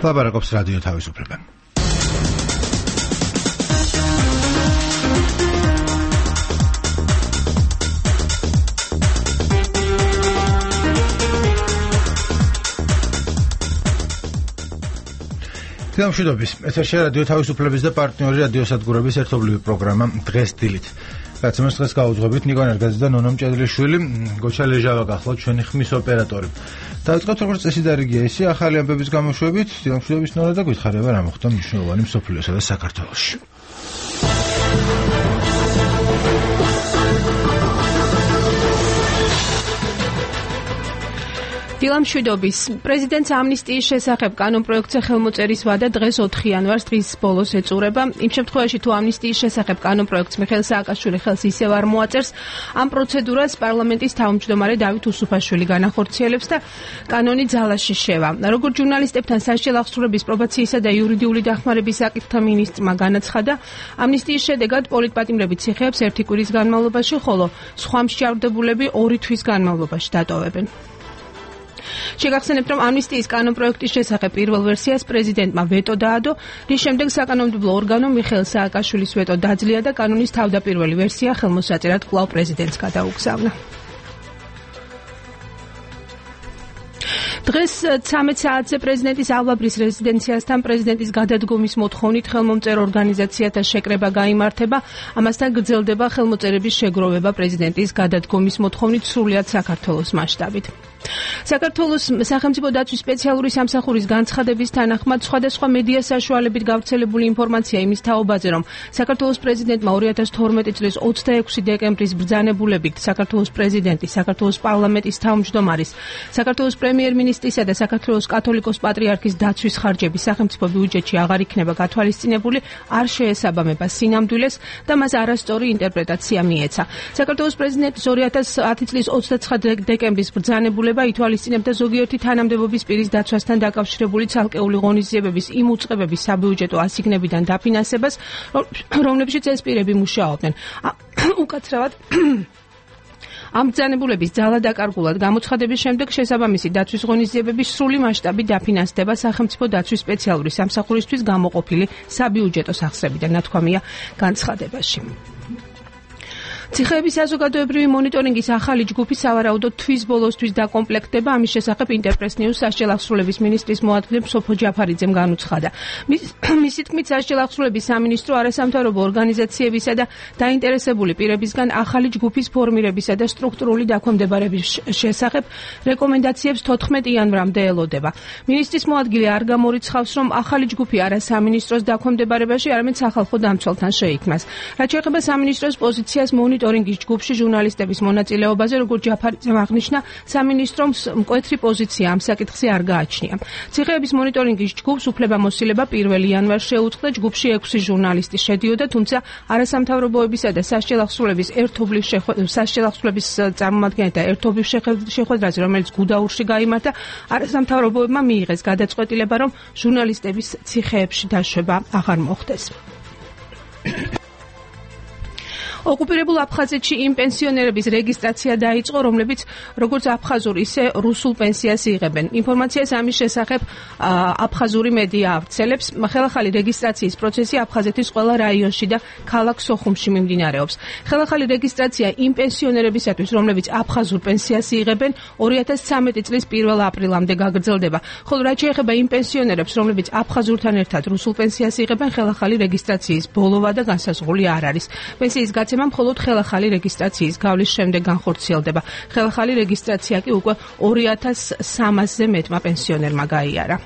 ლაპარაკობს რადიო თავისუფლება. გამშვიდობის. ეთერშია რადიო თავისუფლების და პარტნიორი რადიოსადგურების ერთობლივი პროგრამა დღეს დილით. რაც მას დღეს გავუძღვებით ნიკო ნერგაძე და ნონო მჭედლიშვილი, გოჩა ლეჟავა გახლავთ ჩვენი ხმის ოპერატორი. დავიწყოთ როგორც წესი და რიგია ისე ახალი ამბების გამოშვებით, გამშვიდობის ნონა და გითხარება რა მოხდა მნიშვნელოვანი მსოფლიოსა და საქართველოში. დილამშვიდობის. პრეზიდენტს ამნისტიის შესახებ კანონპროექტზე ხელმოწერის ვადა დღეს 4 იანვარს დღის ბოლოს ეწურება. იმ შემთხვევაში თუ ამნისტიის შესახებ კანონპროექტს მიხეილ სააკაშვილი ხელს ისევ არ მოაწერს, ამ პროცედურას პარლამენტის თავმჯდომარე დავით უსუფაშვილი განახორციელებს და კანონი ძალაში შევა. როგორც ჟურნალისტებთან სასჯელ აღსრულების პრობაციისა და იურიდიული დახმარების საკითხთა მინისტრმა განაცხადა, ამნისტიის შედეგად პოლიტპატიმრები ციხეებს 1 კვირის განმავლობაში, ხოლო სხვა მსჯავრდებულები 2 თვის განმავლობაში დატოვებენ. შეგახსენებთ, რომ ამნისტიის კანონპროექტის შესახებ პირველ ვერსიას პრეზიდენტმა ვეტო დაადო, რის შემდეგ საკანონმდებლო ორგანომ მიხეილ სააკაშვილის ვეტო დაძლია და კანონის თავდაპირველი ვერსია ხელმოსაწერად კვლავ პრეზიდენტს გადაუგზავნა. დღეს 13 საათზე პრეზიდენტის ალვაბრის რეზიდენციასთან პრეზიდენტის გადადგომის მოთხოვნით ხელმომწერო ორგანიზაციათა შეკრება გაიმართება. ამასთან გრძელდება ხელმოწერების შეგროვება პრეზიდენტის გადადგომის მოთხოვნით სრულად საქართველოს მასშტაბით. საქართველოს სახელმწიფო დაცვის სპეციალური სამსახურის განცხადების თანახმად სხვადასხვა მედია საშუალებით გავრცელებული ინფორმაცია იმის თაობაზე, რომ საქართველოს პრეზიდენტმა 2012 წლის 26 დეკემბრის ბრძანებულებით საქართველოს პრეზიდენტის, საქართველოს პარლამენტის თავმჯდომარის, საქართველოს პრემიერ-მინისტრისა და საქართველოს კათოლიკოს პატრიარქის დაცვის ხარჯები სახელმწიფო ბიუჯეტში აღარ იქნება გათვალისწინებული, არ შეესაბამება სინამდვილეს და მას არასწორი ინტერპრეტაცია მიეცა. საქართველოს პრეზიდენტის 2010 წლის 29 დეკემბრის ბრძანებულება ითვალისწინებდა ზოგიერთი თანამდებობის პირის დაცვასთან დაკავშირებული ცალკეული ღონისძიებების იმ უწყებების საბიუჯეტო ასიგნებიდან დაფინანსებას, რომლებშიც ეს პირები მუშაობდნენ. უკაცრავად ამ ბრძანებულების ძალადაკარგულად გამოცხადების შემდეგ შესაბამისი დაცვის ღონისძიებების სრული მასშტაბი დაფინანსდება სახელმწიფო დაცვის სპეციალური სამსახურისთვის გამოყოფილი საბიუჯეტო სახსრებიდან, ნათქვამია განცხადებაში. ციხეების საზოგადოებრივი მონიტორინგის ახალი ჯგუფი სავარაუდოდ თვის ბოლოსთვის დაკომპლექტდება. ამის შესახებ ინტერპრეს ნიუს სასჯელ აღსრულების მინისტრის მოადგილე სოფო ჯაფარიძემ განუცხადა. მისი თქმით, სასჯელ აღსრულების სამინისტრო არასამთავრობო ორგანიზაციებისა და დაინტერესებული პირებისგან ახალი ჯგუფის ფორმირებისა და სტრუქტურული დაქვემდებარების შესახებ რეკომენდაციებს 14 იანვრამდე ელოდება. მინისტრის მოადგილე არ გამორიცხავს, რომ ახალი ჯგუფი არა სამინისტროს დაქვემდებარებაში, არამედ სახალხო დამცველთან შეიქმნას. რაც შეეხება სამინისტროს პოზიციას მონიტორინგის ჯგუფში ჟურნალისტების მონაწილეობაზე, როგორც ჯაფარიძემ აღნიშნა, სამინისტრომ მკვეთრი პოზიცია ამ საკითხზე არ გააჩნია. ციხეების მონიტორინგის ჯგუფს უფლებამოსილება 1 იანვარს შეუწყდა. ჯგუფში 6 ჟურნალისტი შედიოდა, თუმცა არასამთავრობოებისა და სასჯელ აღსრულების წარმომადგენელთა ერთობლივ შეხვედრაზე, რომელიც გუდაურში გაიმართა, არასამთავრობოებმა მიიღეს გადაწყვეტილება, რომ ჟურნალისტების ციხეებში დაშვება აღარ მოხდეს. ოკუპირებულ აფხაზეთში იმ პენსიონერების რეგისტრაცია დაიწყო, რომლებიც როგორც აფხაზურ, ისე რუსულ პენსიას იღებენ. ინფორმაციას ამის შესახებ აფხაზური მედია ავრცელებს. ხელახალი რეგისტრაციის პროცესი აფხაზეთის ყველა რაიონში და ქალაქ სოხუმში მიმდინარეობს. ხელახალი რეგისტრაცია იმ პენსიონერებისათვის, რომლებიც აფხაზურ პენსიას იღებენ, 2013 წლის 1 აპრილამდე გაგრძელდება. ხოლო რაც შეეხება იმ პენსიონერებს, რომლებიც აფხაზურთან ერთად რუსულ პენსიას იღებენ, ხელახალი რეგისტრაციის ბოლოვა და განსაზღვრული არ არის. პენსიის გაცემა მხოლოდ ხელახალი რეგისტრაციის გავლის შემდეგ განხორციელდება. ხელახალი რეგისტრაცია კი უკვე 2300-ზე მეტმა პენსიონერმა გაიარა.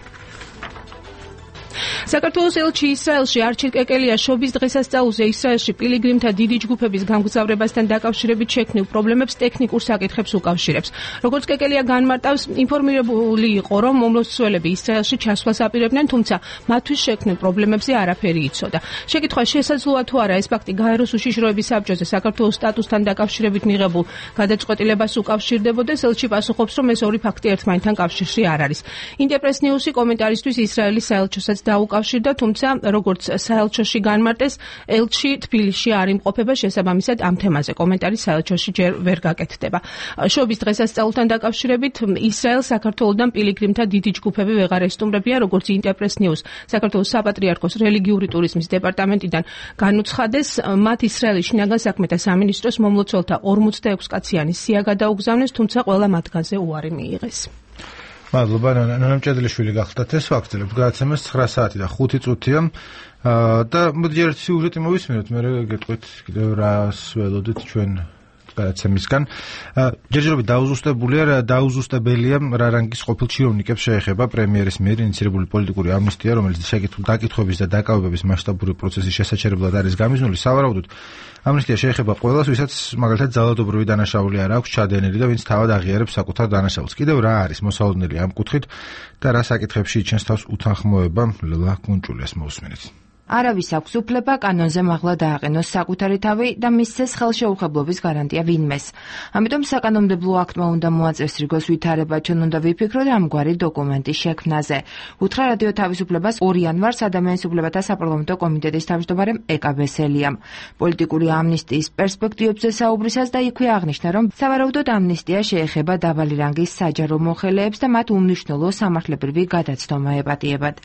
საქართველოს ელჩი ისრაელში არჩილ კეკელია შობის დღესასწაულზე ისრაელში პილიგრიმთა დიდი ჯგუფების გამგზავრებასთან დაკავშირებით შექმნილ პრობლემებს ტექნიკურ საკითხებს უკავშირებს. როგორც კეკელია განმარტავს, ინფორმირებული იყო, რომ მომლოცველები ისრაელში ჩასვლას აპირებდნენ, თუმცა მათთვის შექმნილ პრობლემებზე არაფერი იცოდა. შეკითხვა შესაძლოა თუ არა ეს ფაქტი გაეროს უშიშროების საბჭოზე საქართველოს სტატუსთან დაკავშირებით მიღებულ გადაწყვეტილებას უკავშირდებოდეს. ელჩი პასუხობს, რომ ეს ორი ფაქტი ერთმანეთთან კავშირში არ არის. ინტერპრეს ნიუსი კომენტარისთვის ისრაელის საელჩოსაც დაუკრა უკავშირდა, თუმცა როგორც საელჩოში განმარტეს, ელჩი თბილისში არ იმყოფება, შესაბამისად ამ თემაზე კომენტარი საელჩოში ჯერ ვერ გაკეთდება. შობის დღესასწაულთან დაკავშირებით ისრაელს საქართველოდან პილიგრიმთა დიდი ჯგუფები ვეღარ ესტუმრებია, როგორც ინტერპრეს ნიუს საქართველოს საპატრიარქოს რელიგიური ტურიზმის დეპარტამენტიდან განუცხადეს, მათ ისრაელის შინაგან საქმეთა სამინისტროს მომლოცველთა 46 კაციანი სია გადაუგზავნეს, თუმცა ყველა მათგანზე უარი მიიღეს. მადლობა, ნონა მჭედლიშვილი გახლდათ ეს ფაქტები. გადაცემას 9 საათი და 5 წუთია. და მოდი ერთ სიუჟეტი მოვისმინოთ, მე გეტყვით კიდევ რას ველოდით ჩვენ გადაცემისგან. ჯერჯერობით დაუზუსტებელია რა რანგის ყოფილ ჩინოვნიკებს შეეხება პრემიერის მიერ ინიციირებული პოლიტიკური ამნისტია, რომელიც დაკითხვების და დაკავებების მასშტაბური პროცესის შესაჩერებლად არის გამიზნული. სავარაუდოდ ამნისტია შეეხება ყველას, ვისაც მაგალითად ძალადობრივი დანაშაული არ აქვს ჩადენილი და ვინც თავად აღიარებს საკუთარ დანაშაულს. კიდევ რა არის მოსალოდნელი ამ კუთხით და რა საკითხებში იჩენს თავს უთანხმოება, ლელა კუნჭულიას მოусმინეთ. არავის აქვს უფლება კანონზე მაღლა დააყენოს საკუთარი თავი და მისცეს ხელშეუხებლობის გარანტია ვინმეს. ამიტომ საკანონმდებლო აქტმა უნდა მოაწესოს რიგოს ვითარება, ჩვენ უნდა ვიფიქროთ ამგვარი დოკუმენტის შექმნაზე. უთხრა რადიო თავისუფლებას 2 იანვარს ადამიანის უფლებათა საპარლამენტო კომიტეტის თავმჯდომარემ ეკა ბესელიამ. პოლიტიკური ამნისტიის პერსპექტივებზე საუბრისას და იქვე აღნიშნა, რომ სავარაუდოდ ამნისტია შეეხება დაბალი რანგის საჯარო მოხელეებს და მათ უმნიშვნელო სამართლებრივი გადაცდომა ეპატიებათ.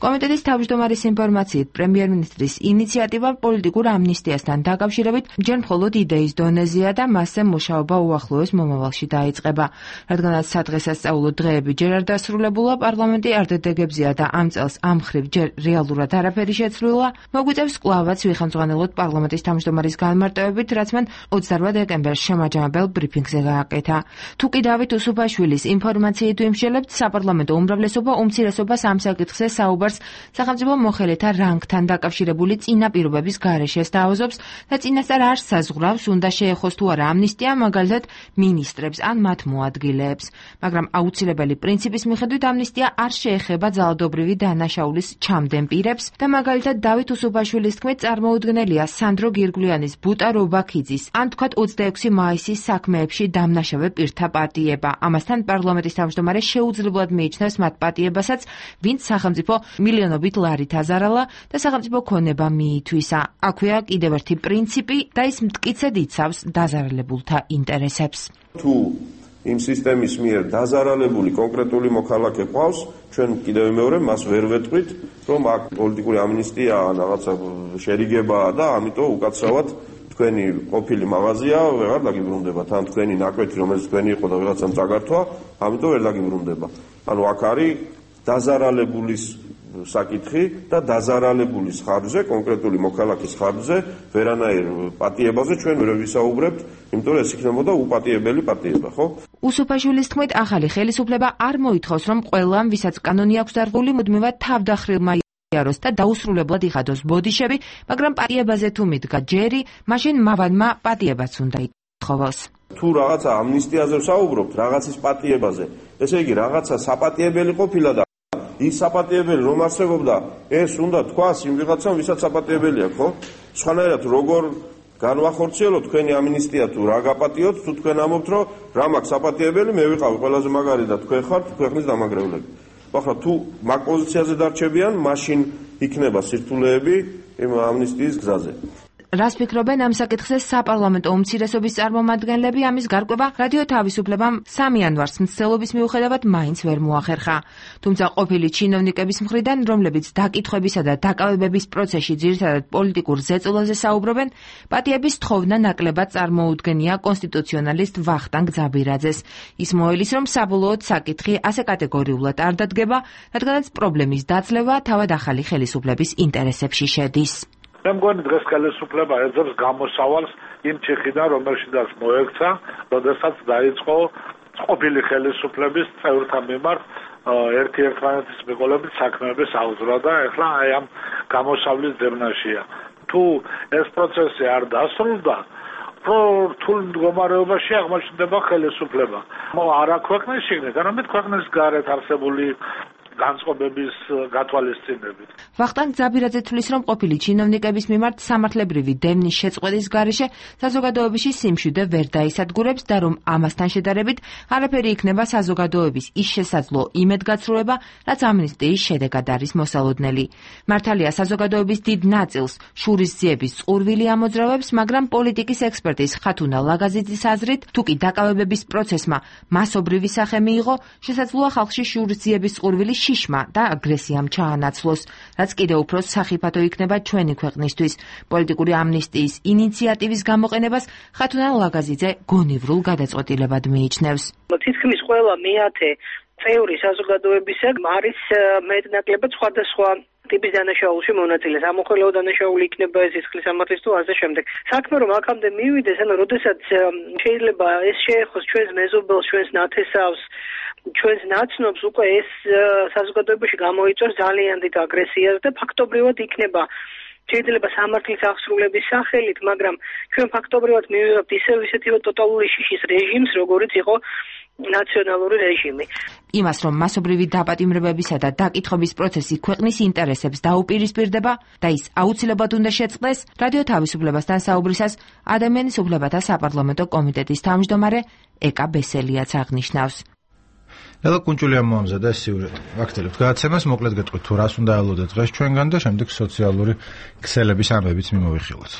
კომიტეტის თავმჯდომარის ინფორმაციით პრემიერ-მინისტრის ინიციატივა პოლიტიკურ ამნისტიასთან დაკავშირებით ჯერ მხოლოდ იდეის დონეზეა და მასზე მუშაობა უახლოეს მომავალში დაიწყება. რადგანაც სადღესასწაულო დღეები ჯერ არ დასრულებულა, პარლამენტი არდედეგებზეა და ამ წელს ამ მხრივ ჯერ რეალურად არაფერი შეცვლილა, მოგვიწევს კვლავაც ვიხელმძღვანელოთ პარლამენტის თავმჯდომარის განმარტოებით, რაც მან 28 დეკემბერს შემაჯამებელ ბრიფინგზე გააკეთა. თუ კი დავით უსუფაშვილის ინფორმაციით ვიმსჯელებთ, საპარლამენტო უმრავლესობა უმცირესობას ამ საკითხზე საუბარს სახელმწიფო მოხელეთა რანგთან დაკავშირებული წინაპირობების გარეშე დააუზობს და წინასწარ არ საზღვრავს, უნდა შეეხოს თუ არა ამნისტია მაგალითად მინისტრებს ან მათ მოადგილეებს. მაგრამ აუცილებელი პრინციპის მიხედვით ამნისტია არ შეეხება ძალადობრივი დანაშაულის ჩამდენ პირებს და მაგალითად დავით უსუფაშვილის თქმით წარმოუდგენელია სანდრო გირგვლიანის, ბუტა რობაქიძის ან თქვათ 26 მაისის საქმეებში დამნაშავე პირთა პატიება. ამასთან პარლამენტის თავმჯდომარე შეუძლებლად მიიჩნევს მათ პატიებასაც, ვინც სახელმწიფო მილიონობით ლარით აზარალა და სახელმწიფო ქონება მიითვისა. აქვეა კიდევ ერთი პრინციპი და ის მტკიცედ იცავს დაზარალებულთა ინტერესებს. თუ იმ სისტემის მიერ დაზარალებული კონკრეტული მოქალაქე ყავს, ჩვენ კიდევ მეორე მას ვერ ვეტყვით, რომ აქ პოლიტიკური ამნისტია რაღაცა შერიგებაა და ამიტომ უკაცრავად თქვენი ყოფილი მაღაზია ვეღარ დაგიბრუნდებათ, ან თქვენი ნაკვეთი, რომელიც თქვენი იყო და ვიღაცამ წაგართვა, ამიტომ ვერ დაგიბრუნდება. ანუ აქ არის დაზარალებულის საკითხი და დაზარალებულის ხარჯზე, კონკრეტული მოქალაქის ხარჯზე, ვერანაირ პატიებაზე ჩვენ ვერ ვისაუბრებთ, იმიტომ რომ ეს იქნებოდა უპატიებელი პატიება, ხო? უსუფაშვილის თქმით, ახალი ხელისუფლება არ მოითხოვს, რომ ყველამ, ვისაც კანონი აქვს დარღვეული, მუდმივად თავდახრილმა იაროს და დაუსრულებლად იხადოს ბოდიშები, მაგრამ პატიებაზე თუ მიდგა ჯერი, მაშინ მავანმა პატიებაც უნდა ითხოვოს. თუ რაღაცა ამნისტიაზე ვსაუბრობთ, რაღაცის პატიებაზე, ესე იგი რაღაცა საპატიებელი ყოფილა და ის საპატიებელი რომ არსებობდა, ეს უნდა თქვას იმ ვიღაცამ, ვისაც საპატიებელი აქვს, ხო? სხვანაირად როგორ განვახორციელოთ თქვენი ამნისტია თუ რა გაპატიოთ, თუ თქვენ ამობთ, რომ რა მაქვს საპატიებელი, მე ვიყავი ყველაზე მაგარი და თქვენ ხართ ქვეყნის დამაგრევლები. ახლა თუ მაგ პოზიციაზე დარჩებიან, მაშინ იქნება სირთულეები იმ ამნისტიის გზაზე. რას ფიქრობენ ამ საკითხზე საპარლამენტო უმცირესობის წარმომადგენლები? ამის გარკვევა რადიო თავისუფლებამ 3 იანვარს მცდელობის მიუხედავად მაინც ვერ მოახერხა. თუმცა ყოფილი ჩინოვნიკების მხრიდან, რომლებიც დაკითხვებისა და დაკავებების პროცესში ძირითადად პოლიტიკურ ზეწოლაზე საუბრობენ, პატიების თხოვნა ნაკლებად წარმოუდგენია კონსტიტუციონალისტ ვახტანგ ძაბირაძეს. ის მოელის, რომ საბოლოოდ საკითხი ასე კატეგორიულად არ დადგება, რადგანაც პრობლემის დაძლევა თავად ახალი ხელისუფლების ინტერესებში შედის. მე მგონი დღეს ხელისუფლება ეძებს გამოსავალს იმ ჩიხიდან, რომელშიც მოექცა, როდესაც დაიწყო ყოფილი ხელისუფლების წევრთა მიმართ ერთი-ერთმანეთის მიყოლებით საქმეების აღძვრა და ეხლა აი ამ გამოსავლის ძებნაშია. თუ ეს პროცესი არ დასრულდა, რთულ მდგომარეობაში აღმოჩნდება ხელისუფლება. არა ქვეყნის შიგნით, არამედ ქვეყნის გარეთ არსებული განწყობების გათვალისწინებით. ვახტანგ ძაბირაძე თვლის, რომ ყოფილი ჩინოვნიკების მიმართ სამართლებრივი დევნის შეწყვეტის გარეშე საზოგადოებაში სიმშვიდე ვერ დაისადგურებს და რომ ამასთან შედარებით არაფერი იქნება საზოგადოების ის შესაძლო იმედგაცრუება, რაც ამნისტიის შედეგად არის მოსალოდნელი. მართალია საზოგადოების დიდ ნაწილს შურისძიების წყურვილი ამოძრავებს, მაგრამ პოლიტიკის ექსპერტის ხათუნა ლაგაზიძის აზრით, თუ კი დაკავებების პროცესმა მასობრივი სახე მიიღო, შესაძლოა ხალხში შურისძიების წყურვილი შიშმა და აგრესიამ ჩაანაცვლოს, რაც კიდევ უფრო სახიფათო იქნება ჩვენი ქვეყნისთვის. პოლიტიკური ამნისტიის ინიციატივის გამოყენებას ხათუნა ლაგაზიძე გონივრულ გადაწყვეტილებად მიიჩნევს. თითქმის ყველა მეათე წევრი საზოგადოებისა არის მეტნაკლებად სხვადასხვა ტიპის დანაშაულში მონაწილე. ამოხელეო დანაშაული იქნება ეს სისხლის სამართლის თუ ასე შემდეგ. საქმე რომ აქამდე მივიდეს, ანუ როდესაც შეიძლება ეს შეეხოს ჩვენს მეზობელს, ჩვენს ნათესავს, ჩვენს ნაცნობს, უკვე ეს საზოგადოებაში გამოიწვევს ძალიან დიდ აგრესიას და ფაქტობრივად იქნება შეიძლება სამართლის აღსრულების სახელით, მაგრამ ჩვენ ფაქტობრივად მივიღებთ ისეთი ტოტალური შიშის რეჟიმს, როგორიც იყო ნაციონალური რეჟიმი. იმას, რომ მასობრივი დაპატიმრებებისა და დაკითხების პროცესი ქვეყნის ინტერესებს დაუპირისპირდება და ის აუცილებლად უნდა შეწყდეს, რადიო თავისუფლებასთან საუბრისას ადამიანის უფლებათა საპარლამენტო კომიტეტის თავმჯდომარე ეკა ბესელიაც აღნიშნავს. ელო კუნჭულია მოამზადა ეს სიუჟეტი. ვაქცელებთ გადაცემას, მოკლედ გეტყვით თუ რას უნდა ელოდეთ დღეს ჩვენგან და შემდეგ სოციალური ქსელების ამბებიც მიმოვიხილოთ.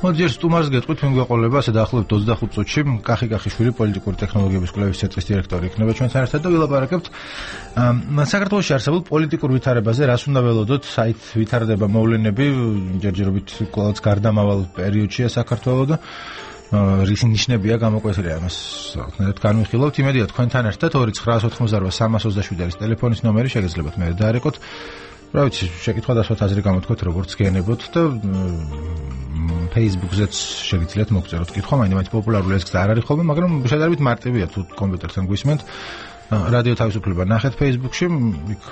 მოდიერ სტუმარს გეტყვით, ვინ გვეყოლება ასე დაახლოებით 25 წუთში კახი-კახიშვილი პოლიტიკური ტექნოლოგიების კვლევის ცენტრის დირექტორი იქნება ჩვენთან ერთად და ვილაპარაკებთ საქართველოში არსებულ პოლიტიკურ ვითარებაზე, რას უნდა ველოდოთ, საით ვითარდება მოვლენები, ჯერჯერობით კვლავაც გარდამავალ პერიოდშია საქართველო და რის ნიშნებია გამოკვეთილი ამას ნახეთ განვიხილავთ. იმედია თქვენთან ერთად 2988327 არის ტელეფონის ნომერი, შეგეძლებათ მე დაარეკოთ. რა ვიცი, შეკითხვა დასვათ აზრი გამოთქვეთ, როგორც გენებოთ და Facebook-ზეც შეგიძლიათ მოგწეროთ კითხვა, მაინც პოპულარული ეს გზა არ არის ხოლმე, მაგრამ შედარებით მარტივია თუ კომპიუტერთან გვისმენთ. რადიო თავისუფლება ნახეთ Facebook-ში, იქ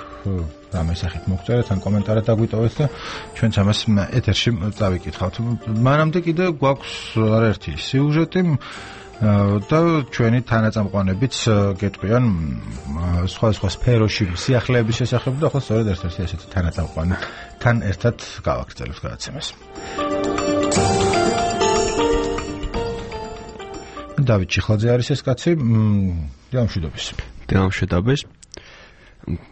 რამე სახით მოგწერეთ ან კომენტარად დაგვიტოვეთ და ჩვენც ამას ეთერში წავიკითხავთ. მანამდე კიდე გვაქვს არაერთი სიუჟეტი და ჩვენი თანაწამყვანებიც გეტყვიან სხვა სფეროში სიახლეების შესახებ და ახლა სწორედ ერთ-ერთი ესეთი თანაწამყვანი თან ერთად გავაგრძელებთ გადაცემას. დავით ჩიხლაძე არის ეს კაცი. დამშვიდობის.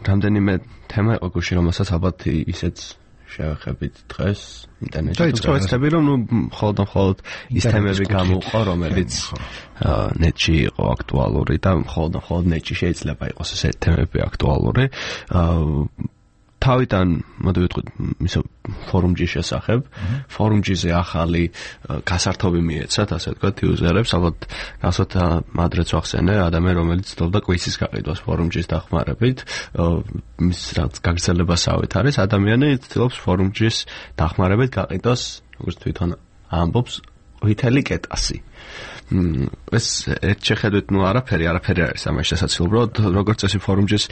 რამდენიმე თემა იყო გუში, რომელსაც ალბათ ისეც შევეხებით დღეს ინტერნეტში. წავეცდები რომ მხოლოდ ის თემები გამოვყო, რომელიც ნეტში იყო აქტუალური და მხოლოდ ნეტში შეიძლება იყოს ესეთი თემები აქტუალური. თავიდან მოდი ვიტყვით ისე ფორუმჯის შესახებ. ფორუმჯიზე ახალი გასართობი მიეცათ, ასე ვთქვათ, იუზერებს, ალბათ გასოთ ადრეც ვახსენე, ადამიანი რომელიც ცდილობდა კვიცის გაყიდვას ფორუმჯის დახმარებით, მის რაც გაგრძელებასავით არის, ადამიანი ცდილობს ფორუმჯის დახმარებით გაყიდოს, როგორც თვითონ ამბობს, ვითელი კეტასი. ეს ერთ შეხედვით არაფერი არის ამაში შესაძლებელი. უბრალოდ როგორც წესი ფორუმჯის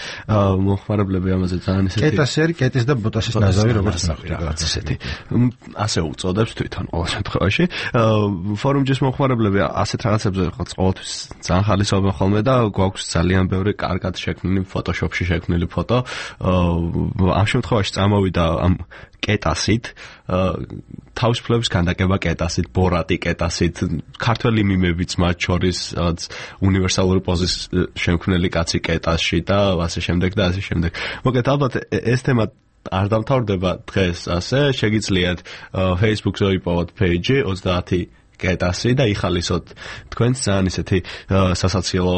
მოხმარებლები ამაზე ძალიან ისეთი კეტასი არის, კეტის და ბოტასის ნაზავი, როგორც რაღაც ესეთი. ასე უწოდებს თვითონ ყოველ შემთხვევაში. ფორუმჯის მოხმარებლები ასეთ რაღაცებზე ყოველთვის ძალიან ხალისობენ ხოლმე და გვაქვს ძალიან ბევრი კარგად შექმნილი ფოტოშოპში შექმნილი ფოტო. ამ შემთხვევაში წამოვიდა ამ კეტასით, თავისუფლების განდაკება კეტასით, ბორატი კეტასით, ქართველი მიმებიც მათ შორის უნივერსალური პოზის შემქმნელი კაცი კეტასში და ასე შემდეგ და ასე შემდეგ. მოკლედ ალბათ ეს თემა არ დამთავრდება დღეს ასე, შეგიძლიათ Facebook-ზე იპოვოთ page 30 კეტასი და იხალისოთ თქვენს ძალიან ისეთი სასაცილო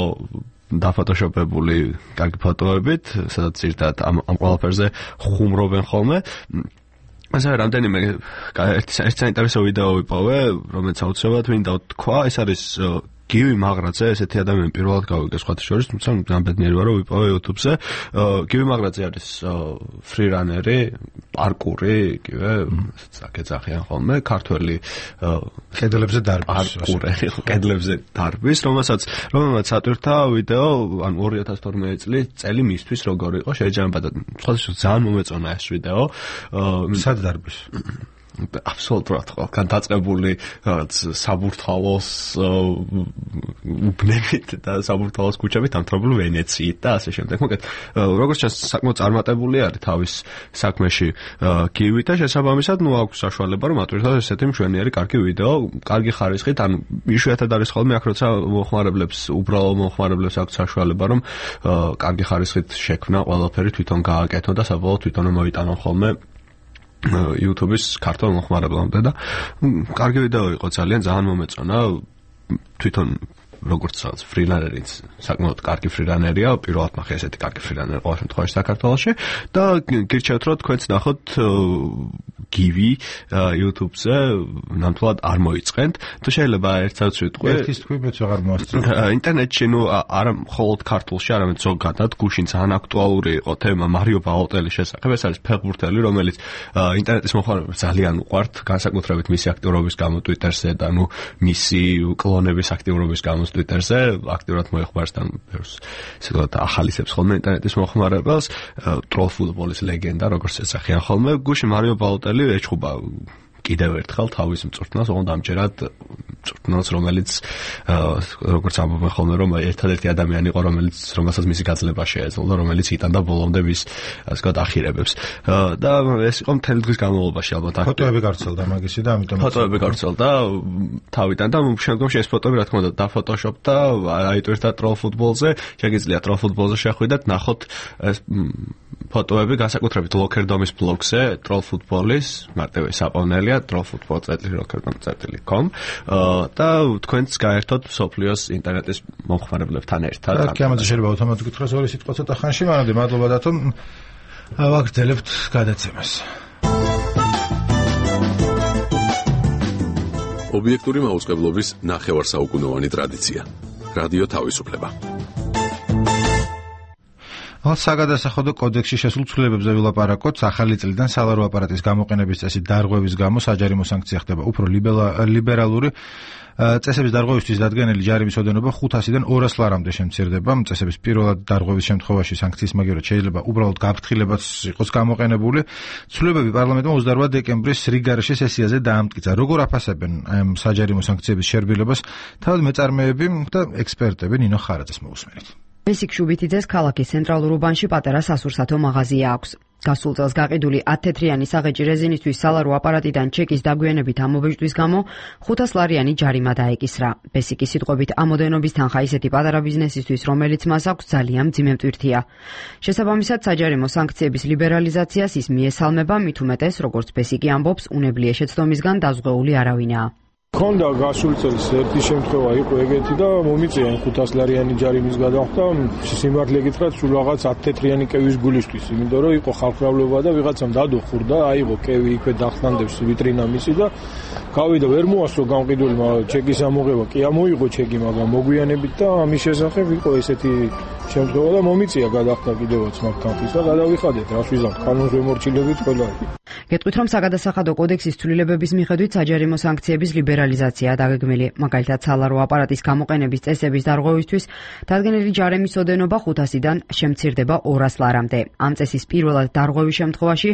დაფოტოშოპებული კარგი ფოტოებით, სადაც ერთად ამ ყველაფერზე ხუმრობენ ხოლმე. ასე რამდენიმე ერთი საინტერესო ვიდეო ვიპოვე, რომელიც აუცილებლად მინდა თქვა, ეს არის გივი მაღრაძე, ესეთი ადამიანი პირველად გავიგე სხვათა შორის, თუმცა განბედნიერი ვარ, რომ ვიპოვე YouTube-ზე. გივი მაღრაძე არის ფრირანერი, პარკური, იგივე, საკეცახიან ხოლმე, ქართველი კედლებზე დარბის, კედლებზე დარბის, რომელსაც ატვირთა ვიდეო, ან 2012 წელი მისთვის როგორ იყო შეიძლება და სხვათა შორის ძალიან მომეწონა ეს ვიდეო. სად დარბის? აბსოლუტურად ყველგან დაწყებული რაღაც საბურთალოს უბნებით და საბურთალოს ქუჩებით ამთრობლივ ვენეციით და ასე შემდეგ. მოკლედ, როგორც ჩანს, საკმაოდ წარმატებული არის თავის საქმეში კივი და შესაბამისად, აქვს საშუალება რომ ატვირთოს ესეთი მშვენიერი კარგი ვიდეო, კარგი ხარისხით, ანუ იშვიათად არის ხოლმე აქ როცა უბრალო მომხმარებლებს აქვს საშუალება რომ კარგი ხარისხით შექმნა ყველაფერი თვითონ გააკეთონ და საბოლოოდ თვითონ მოიტანონ ხოლმე YouTube-ის ქართულ მომხმარებლამდე და კარგი ვიდეო იყო, ძალიან მომეწონა. თვითონ როგორც რაღაც ფრილანერიც საკმაოდ კარგი ფრილანერია, პირველად ნახე ესეთი კარგი ფრილანერი ყოველ შემთხვევაში საქართველოში და გირჩევთ რომ თქვენც ნახოთ გივი YouTube-ზე ნამდვილად არ მოიწყენთ. თუ შეიძლება ერთსაც ვიტყვი. ერთის თქვი მეც აღარ მოასწრებ. ინტერნეტში არა მხოლოდ ქართულში, არამედ ზოგადად გუშინ ძალიან აქტუალური იყო თემა მარიო ბალოტელის შესახებ. ეს არის ფეხბურთელი, რომელიც ინტერნეტის მოხმარებლებს ძალიან უყვართ, განსაკუთრებით მისი აქტიურობის გამო Twitter-ზე და მისი კლონების აქტიურობის გამო Twitter-ზე აქტიურად მოეხმარს და ბევრს ისედაც ახალისებს ხოლმე ინტერნეტის მოხმარებელს, ტროლ ფუტბოლის ლეგენდა, როგორც ეძახიან ხოლმე. გუშინ მარიო ბალოტელი ეჩხუბა კიდევ ერთხელ თავის მწვრთნელს, ოღონდ ამჯერად მწვრთნელს, რომელიც როგორც ამბობენ ხოლმე, რომ ერთადერთი ადამიანი იყო, რომელსაც მისი გაძლება შეეძლო და რომელიც იტანდა ბოლომდე მის ასე ვთქვათ ახირებებს. და ეს იყო მთელი დღის განმავლობაში ალბათ. ფოტოები გავრცელდა მაგისი და ამიტომ ფოტოები გავრცელდა თავიდან და შემდგომში ეს ფოტოები რა თქმა უნდა დაფოტოშოპდა, აიტვირთა ტროლ ფუტბოლზე, შეგიძლიათ ტროლ ფუტბოლზე შეხვიდეთ, ნახოთ ეს ფოტოები განსაკუთრებით ლოკერდომის ბლოგზე, ტროლ ფუტბოლის, მარტივი საპოვნელია trollfootball.com და თქვენც გაერთოთ სოფლიოს ინტერნეტის მომხმარებლებთან ერთად. და ამაზე შეიძლება ავტომატურად გითხრას ორი სიტყვა ცოტა ხანში, მანამდე მადლობა დათო. ვაგრძელებთ გადაცემას. ობიექტური მაუწყებლობის ნახევარსაუკუნოვანი ტრადიცია. რადიო თავისუფლება. საგადასახადო კოდექსში შესულ ცვლილებებზე ვილაპარაკოთ. ახალი წლიდან სალარო აპარატის გამოყენების წესით დარღვევის გამო საჯარიმო სანქცია ხდება უფრო ლიბერალური. წესების დარღვევისთვის დადგენილი ჯარიმის ოდენობა 500-დან 200 ლარამდე შემცირდება. წესების პირველად დარღვევის შემთხვევაში სანქციის მაგივრად შეიძლება უბრალოდ გაფრთხილებაც იყოს გამოყენებული. ცვლილებები პარლამენტმა 28 დეკემბრის რიგარეშე სესიაზე დაამტკიცა. როგორ აფასებენ ამ საჯარიმო სანქციების შერბილებას თავად მეწარმეები და ექსპერტები? ნინო ხარაძეს მოусმენთ. ბესიკ შუბითიძეს ქალაქის ცენტრალურ უბანში პატარა სასურსათო მაღაზია აქვს. გასულ წელს გაყიდული 10 თეთრიანი საღეჭი რეზინისთვის სალარო აპარატიდან ჩეკის დაგვიანებით ამობეჭდვის გამო 500 ლარიანი ჯარიმა დაეკისრა. ბესიკის სიტყვებით ამოდენობის თანხა ისეთი პატარა ბიზნესისთვის, რომელიც მას აქვს ძალიან მძიმე მტვირთია. შესაბამისად, საჯარიმო სანქციების ლიბერალიზაციას ის მიესალმება, მით უმეტეს, როგორც ბესიკი ამბობს, უნებლიე შეცდომისგან დაზღვეული არავინაა. ქონდა გასულ წელს ერთი შემთხვევა იყო ეგეთი და მომიწია 500 ლარიანი ჯარიმის გადახდა. სიმართლე გითხრათ, სულ რაღაც 10 თეთრიანი კევის გულისთვის, იმიტომ რომ იყო ხალხმრავლობა და ვიღაცამ დადო ხურდა, აიღო კევი იქვე დახსნანდებს ვიტრინა მისი და გავიდა ვერ მოასწრო გამყიდულმა ჩეკის ამოღება. კი ამოიღო ჩეკი, მაგრამ მოგვიანებით და ამის შესახებ იყო ესეთი შემთხვევა და მომიწია გადახდა კიდევაც მაგ თანხის და გადავიხადეთ, რას ვიზამთ, კანონს ვემორჩილებით ყველა. გეტყვით, რომ საგადასახადო კოდექსის ცვლილებების მიხედვით საჯარიმო სანქციების ლიბერალიზაციაა დაგეგმილი. მაგალითად, სალარო აპარატის გამოყენების წესების დარღვევისთვის დადგენილი ჯარიმის ოდენობა 500-დან შემცირდება 200 ლარამდე. ამ წესის პირველად დარღვევის შემთხვევაში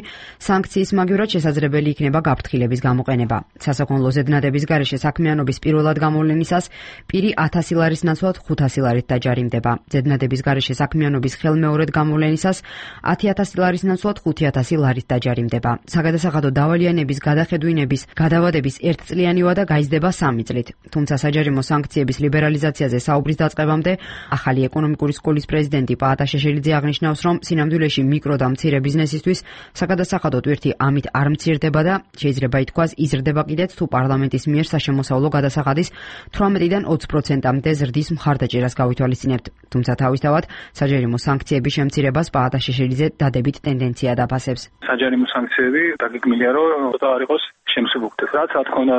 სანქციის მაგივრად შესაძლებელი იქნება გაფრთხილების გამოყენება. სასაქონლო ზედნადების გარეშე საქმიანობის პირველად გამოვლენისას პირი 1000 ლარის ნაცვლად 500 ლარით დაჯარიმდება. ზედნადების გარეშე საქმიანობის ხელმეორედ გამოვლენისას 10000 ლარის ნაცვლად 5000 ლარით დაჯარიმდება. საგადასახადო დავალიანების გადახედვინების გადავადების 1 წლიანი ვადა გაიზრდება 3 წლით. თუმცა საჯარიმო სანქციების ლიბერალიზაციაზე საუბრის დაწყებამდე ახალი ეკონომიკური სკოლის პრეზიდენტი პაატა შეშელიძე აღნიშნავს, რომ სინამდვილეში მიკრო და მცირე ბიზნესისთვის საგადასახადო ტვირთი ამით არ მცირდება და შეიძლება ითქვას იზრდება კიდეც თუ პარლამენტის მიერ საშემოსავლო გადასახადის 18-დან 20%-მდე ზრდის მხარდაჭერას გავითვალისწინებთ. თუმცა თავისთავად საჯარიმო სანქციების შემცირებას პაატა შეშელიძე დადებით ტენდენცია დაფასებს. საჯარიმო სანქციები დაგეგმილია, რომ ცოტა არ იყოს შემსუბუქდეს. რაც რა თქმა უნდა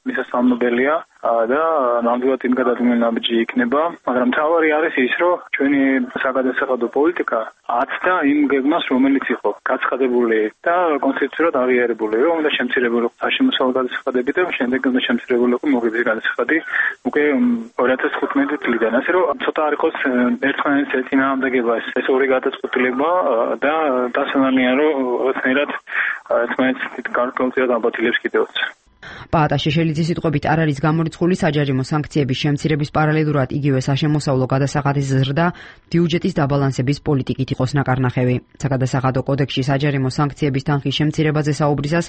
მისასალმებელია და ნამდვილად იმ გადადგმული ნაბიჯი იქნება, მაგრამ თავარი არის ის, რომ ჩვენი საგადასახადო პოლიტიკა აცდა იმ გეგმას, რომელიც იყო გაცხადებული და კონსტიტუციურად აღიარებული, რომ უნდა შემცირებულიყო საშემოსავლო გადასახადები და შემდეგ უნდა შემცირებულიყო მოგების გადასახადი უკვე 2015 წლიდან. ასე რომ ცოტა არ იყოს ერთმანეთის ეწინააღმდეგება ეს ორი გადაწყვეტილება და დასანანია, რომ რაღაცნაირად ერთმანეთს გარკვეულწილად ამბატილებს კიდევაც. პაატა შეშელიძის სიტყვებით არ არის გამორიცხული საჯარიმო სანქციების შემცირების პარალელურად იგივე საშემოსავლო გადასახადის ზრდა ბიუჯეტის დაბალანსების პოლიტიკით იყოს ნაკარნახევი. საგადასახადო კოდექსში საჯარიმო სანქციების თანხის შემცირებაზე საუბრისას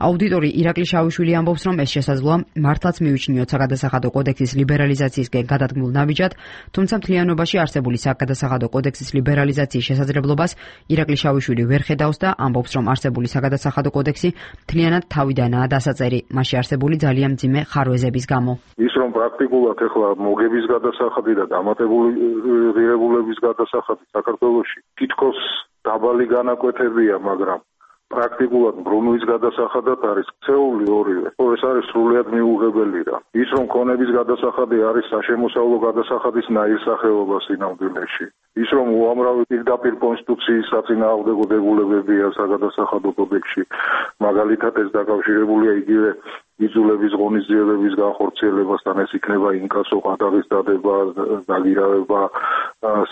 აუდიტორი ირაკლი შავიშვილი ამბობს, რომ ეს შესაძლოა მართლაც მივიჩნიოთ საგადასახადო კოდექსის ლიბერალიზაციისკენ გადადგმულ ნაბიჯად, თუმცა მთლიანობაში არსებული საგადასახადო კოდექსის ლიბერალიზაციის შესაძლებლობას ირაკლი შავიშვილი ვერ ხედავს და ამბობს, რომ არსებული საგადასახადო კოდექსი მთლიანად თავიდანაა დასაწერი. მასში არსებული ძალიან მძიმე ხარვეზების გამო. ის რომ პრაქტიკულად ახლა მოგების გადასახადი და დამატებული ღირებულების გადასახადი საქართველოში თითქოს დაბალი განაკვეთებია, მაგრამ პრაქტიკულად ბრუნვის გადასახადად არის ქცეული ორივე. ეს არის სრულიად მიუღებელი რა. ის რომ ქონების გადასახადი არის საშემოსავლო გადასახადის ნაირსახეობა სინამდვილეში. ის რომ უამრავი პირდაპირ კონსტიტუციის საწინააღმდეგო დებულებებია საგადასახადო კოდექსში, მაგალითად ეს დაკავშირებულია იგივე იძულების ღონისძიებების განხორციელებასთან, ეს იქნება ინკასო, ყადაღის დადება, დაგირავება,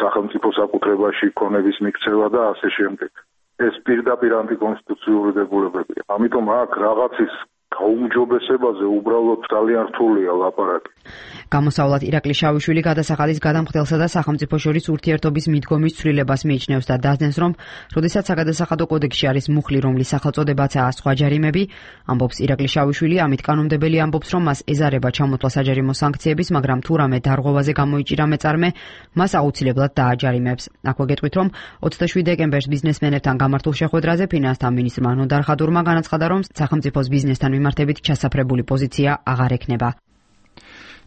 სახელმწიფო საკუთრებაში ქონების მიქცევა და ასე შემდეგ. ეს პირდაპირ ანტიკონსტიტუციური დებულებებია. ამიტომ აქ რაღაცის გაუმჯობესებაზე უბრალოდ ძალიან რთულია ლაპარაკი. გამოსავლად ირაკლი შავიშვილი გადასახადის გადამხდელსა და სახელმწიფო შორის ურთიერთობის მიდგომის ცვლილებას მიიჩნევს და დაძნეს, რომ როდესაც საგადასახადო კოდექსში არის მუხლი, რომლის სახელწოდებაცაა სხვა ჯარიმები, ამბობს ირაკლი შავიშვილი, ამით კანონმდებელი ამბობს, რომ მას ეზარება ჩამოთვლა საჯარიმო სანქციების, მაგრამ თუ რამე დარღვევაზე გამოიჭირა მეწარმე, მას აუცილებლად დააჯარიმებს. აქვე გეტყვით, რომ 27 დეკემბერს ბიზნესმენებთან გამართულ შეხვედრაზე ფინანსთა მინისტრმა ნოდარ ხადურმა განაცხადა, რომ სახელმწიფოს ბიზნესთან მიმართებით ჩასაფრებული პოზიცია აღარ ექნება.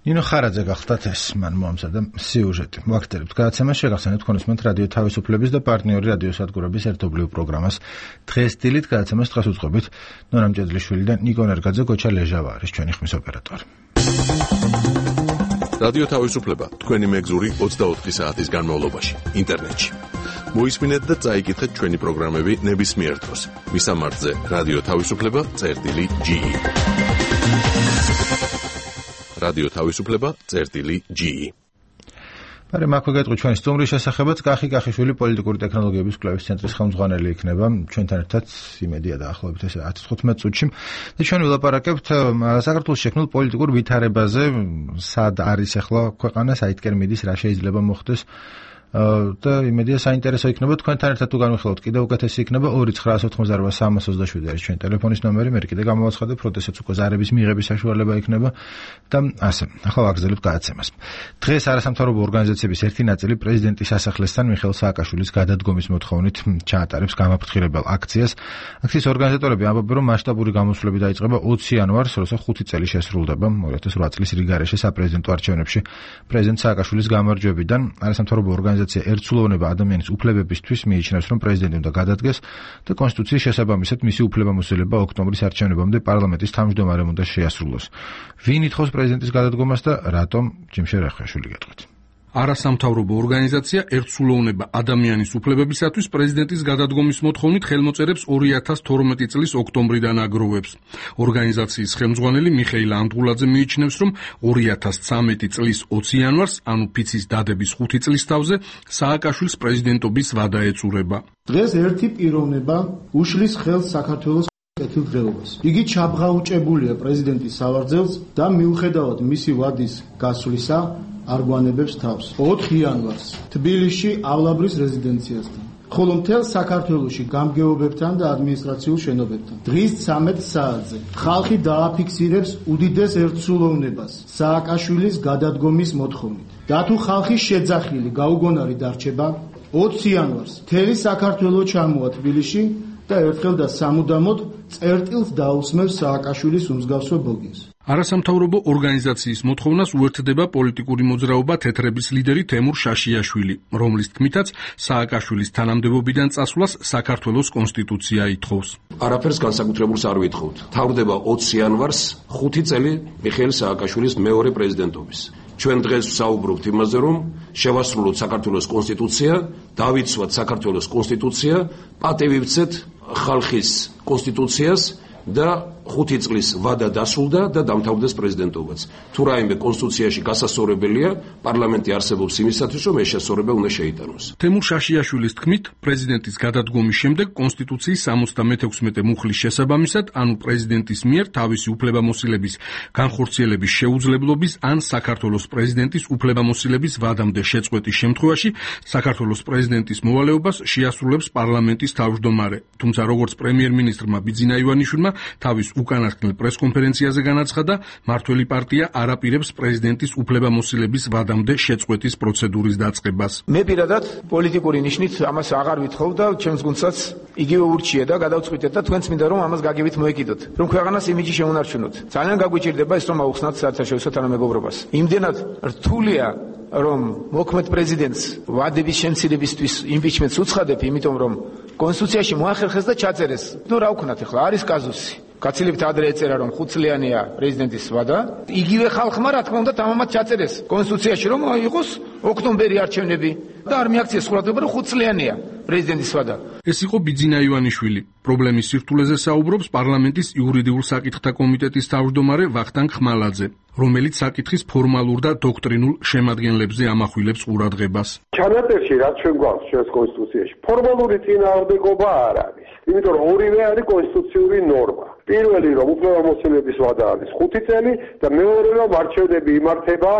ნინო ხარაძე გახლდათ ეს მან მოამზადა სიუჟეტი. ვაქცევით გადაცემას შეგახსენებთ თქვენისმენთ რადიო თავისუფლების და პარტნიორი რადიოსადგურების ერთობლივ პროგრამას დღეს დილით გადაცემას დღეს უძღვებით ნორამ ჭედლიშვილი და ნიკო ნერგაძე, გოჩა ლეჟავა არის ჩვენი ხმის ოპერატორი. რადიო თავისუფლება თქვენი მეგზური 24 საათის განმავლობაში ინტერნეტში. მოისმინეთ და წაიკითხეთ ჩვენი პროგრამები ნებისმიერ დროს. მისამართზე რადიო თავისუფლება.ge რადიო თავისუფლება.ge პარე მაქვე გეტყვი ჩვენი სტუმრის შესახებაც კახი კახიშვილი პოლიტიკური ტექნოლოგიების კვლევის ცენტრის ხელმძღვანელი იქნება ჩვენთან ერთად იმედია დაახლოებით ეს 10-15 წუთში და ჩვენ ვილაპარაკებთ საქართველოს შექმნილ პოლიტიკურ ვითარებაზე, სად არის ახლა ქვეყანა, საითკენ მიდის, რა შეიძლება მოხდეს და იმედია საინტერესო იქნება თქვენთან ერთად თუ განვიხილოთ კიდევ უკეთესი იქნება 2988327 არის ჩვენი ტელეფონის ნომერი, მე კიდე გამოვაცხადებ, როდესაც უკვე ზარების მიღების საშუალება იქნება და ასე. ახლა ვაგრძელებთ გადაცემას. დღეს არასამთავრობო ორგანიზაციების ერთი ნაწილი პრეზიდენტის სასახლესთან მიხეილ სააკაშვილის გადადგომის მოთხოვნით ჩაატარებს გამაფრთხილებელ აქციას. აქციის ორგანიზატორები ამბობენ, რომ მასშტაბური გამოსვლები დაიწყება 20 იანვარს, როცა 5 წელი შესრულდება 2008 წლის რიგარეშე საპრეზიდენტო არჩევნებში პრეზიდენტ სააკაშვილის გამარჯვებიდან. არასამთავრობო ორგანიზაცია ერთსულოვნება ადამიანის უფლებებისთვის მიიჩნევს, რომ პრეზიდენტი უნდა გადადგეს და კონსტიტუციის შესაბამისად მისი უფლებამოსილება ოქტომბრის არჩევნებამდე პარლამენტის თავმჯდომარემ უნდა შეასრულოს. ვინ ითხოვს პრეზიდენტის გადადგომას და რატომ? ჯიმშე რახაშვილი გეტყვით. არასამთავრობო ორგანიზაცია ერთსულოვნება ადამიანის უფლებებისათვის პრეზიდენტის გადადგომის მოთხოვნით ხელმოწერებს 2012 წლის ოქტომბრიდან აგროვებს. ორგანიზაციის ხელმძღვანელი მიხეილ ანდღულაძე მიიჩნევს, რომ 2013 წლის 20 იანვარს, ანუ ფიცის დადების 5 წლის თავზე, სააკაშვილის პრეზიდენტობის ვადა ეწურება. დღეს ერთი პიროვნება უშლის ხელს საქართველოს კეთილდღეობას. იგი ჩაბღაუჭებულია პრეზიდენტის სავარძელს და მიუხედავად მისი ვადის გასვლისა არ გვანებებს თავს. 4 იანვარს თბილისში ავლაბრის რეზიდენციასთან, ხოლო მთელ საქართველოში გამგეობებთან და ადმინისტრაციულ შენობებთან. დღის 13 საათზე ხალხი დააფიქსირებს უდიდეს ერთსულოვნებას სააკაშვილის გადადგომის მოთხოვნით. და თუ ხალხი შეძახილი გაუგონარი დარჩება, 20 იანვარს მთელი საქართველო ჩამოვა თბილისში და ერთხელ და სამუდამოდ წერტილს დაუსმევს სააკაშვილის უმსგავსო ბოგინს. არასამთავრობო ორგანიზაციის მოთხოვნას უერთდება პოლიტიკური მოძრაობა თეთრების ლიდერი თემურ შაშიაშვილი, რომლის თქმითაც სააკაშვილის თანამდებობიდან წასვლას საქართველოს კონსტიტუცია ითხოვს. არაფერს განსაკუთრებულს არ ვითხოვთ. თავდება 20 იანვარს 5 წელი მიხეილ სააკაშვილის მეორე პრეზიდენტობის. ჩვენ დღეს ვსაუბრობთ იმაზე, რომ შევასრულოთ საქართველოს კონსტიტუცია, დავიცვათ საქართველოს კონსტიტუცია, პატივივცეთ ხალხის კონსტიტუციას და 5 წლის ვადა დასრულდა და დამთავრდეს პრეზიდენტობაც. თუ რაიმე კონსტიტუციაში გასასწორებელია, პარლამენტი არსებობს იმისათვის, რომ ეს შესწორება უნდა შეიტანოს. თემურ შაშიაშვილის თქმით, პრეზიდენტის გადადგომის შემდეგ კონსტიტუციის 76 მუხლის შესაბამისად, ანუ პრეზიდენტის მიერ თავისი უფლებამოსილების განხორციელების შეუძლებლობის ან საქართველოს პრეზიდენტის უფლებამოსილების ვადამდე შეწყვეტის შემთხვევაში საქართველოს პრეზიდენტის მოვალეობას შეასრულებს პარლამენტის თავმჯდომარე. თუმცა როგორც პრემიერ-მინისტრმა ბიძინა ივანიშვილმა თავის უკანასკნელ პრესკონფერენციაზე განაცხადა, მართველი პარტია არ აპირებს პრეზიდენტის უფლებამოსილების ვადამდე შეწყვეტის პროცედურის დაწყებას. მე პირადად პოლიტიკური ნიშნით ამას აღარ ვითხოვ და ჩემს გუნდსაც იგივე ურჩია და გადავწყვიტეთ და თქვენც მინდა რომ ამას გაგებით მოეკიდოთ. რომ ქვეყანას იმიჯი შეუნარჩუნოთ. ძალიან გაგვიჭირდება ეს რომ აუხსნათ საერთაშორისო თანამეგობრობას. იმდენად რთულია რომ მოქმედ პრეზიდენტს ვადების შემცირებისთვის იმპიჩმენტს უცხადებ, იმიტომ რომ კონსტიტუციაში მოახერხეს და ჩაწერეს. ნუ რა ვქნათ ახლა, არის კაზუსი. გაცილებთ ადრე ეწერა რომ 5 წლიანია პრეზიდენტის ვადა. იგივე ხალხმა რა თქმა უნდა თამამად ჩაწერეს კონსტიტუციაში რომ იყოს ოქტომბერი არჩევნები და არ მიაქციეს ყურადღება რომ 5 წლიანია პრეზიდენტის ვადა. ეს იყო ბიძინა ივანიშვილი. პრობლემის სირთულეზე საუბრობს პარლამენტის იურიდიულ საკითხთა კომიტეტის თავმჯდომარე ვახტანგ ხმალაძე, რომელიც საკითხის ფორმალურ და დოქტრინულ შემადგენლებზე ამახვილებს ყურადღებას. ჩანაწერში რაც ჩვენ გვაქვს ჩვენს კონსტიტუციაში ფორმალური წინააღმდეგობა არ არის. იმიტომ რომ ორივე არის კონსტიტუციური ნორმა. პირველი რომ უფლებამოსილების ვადა არის 5 წელი და მეორე რომ არჩევნები იმართება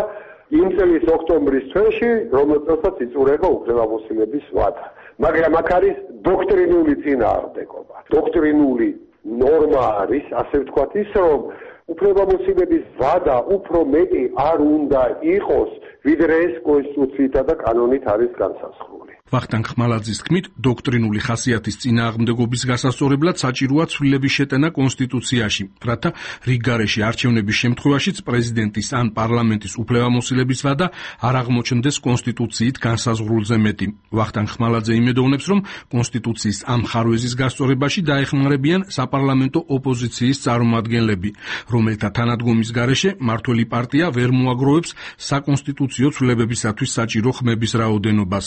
იმ წლის ოქტომბრის თვეში, რომელსაც იწურება უფლებამოსილების ვადა. მაგრამ აქ არის დოქტრინული წინააღმდეგობა. დოქტრინული ნორმა არის, ასე ვთქვათ, ის რომ უფლებამოსილების ვადა უფრო მეტი არ უნდა იყოს, ვიდრე ეს კონსტიტუციითა და კანონით არის განსაზღვრული. ვახტანგ ხმალაძის თქმით, დოქტრინული ხასიათის წინააღმდეგობის გასასწორებლად საჭიროა ცვლილების შეტანა კონსტიტუციაში, რათა რიგგარეში არჩევნების შემთხვევაშიც პრეზიდენტის ან პარლამენტის უფლებამოსილების ვადა არ აღმოჩნდეს კონსტიტუციით განსაზღვრულზე მეტი. ვახტანგ ხმალაძე იმედოვნებს, რომ კონსტიტუციის ამ ხარვეზის გასწორებაში დაეხმარებიან საპარლამენტო ოპოზიციის წარმომადგენლები, რომელთა თანადგომის გარეშე მართველი პარტია ვერ მოაგროვებს საკონსტიტუციო ცვლილებებისათვის საჭირო ხმების რაოდენობას.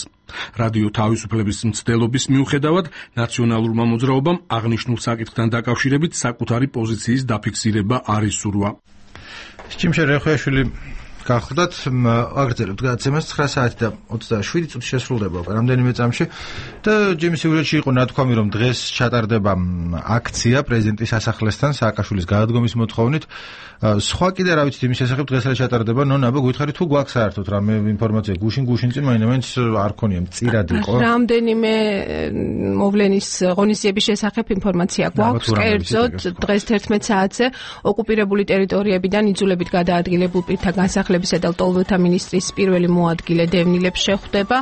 რადიო თავისუფლების მცდელობის მიუხედავად, ნაციონალურმა მოძრაობამ აღნიშნულ საკითხთან დაკავშირებით საკუთარი პოზიციის დაფიქსირება არ ისურვა. ჩიმშე რეხვეშვილი გახლდათ, აგრძელებთ გადაცემას 9 საათი და 27 წუთი შესრულდება რამდენიმე წამში და ჯიმის სიუჟეტში იყო ნათქვამი, რომ დღეს ჩატარდება აქცია პრეზიდენტის სასახლესთან სააკაშვილის გადადგომის მოთხოვნით. სხვა კიდე რა ვიცით იმის შესახებ დღეს რა ჩატარდება, ნონა, გითხარი თუ გვაქვს საერთოდ რამე ინფორმაცია გუშინ წინ მაინც არ ქონია, მწირად იყო. რამდენიმე მოვლენის ღონისძიების შესახებ ინფორმაცია გვაქვს. კერძოდ დღეს 11 საათზე ოკუპირებული ტერიტორიებიდან იძულებით გადაადგილებულ პირთა განსახლებისა და ლტოლვილთა მინისტრის პირველი მოადგილე დევნილებს შეხვდება.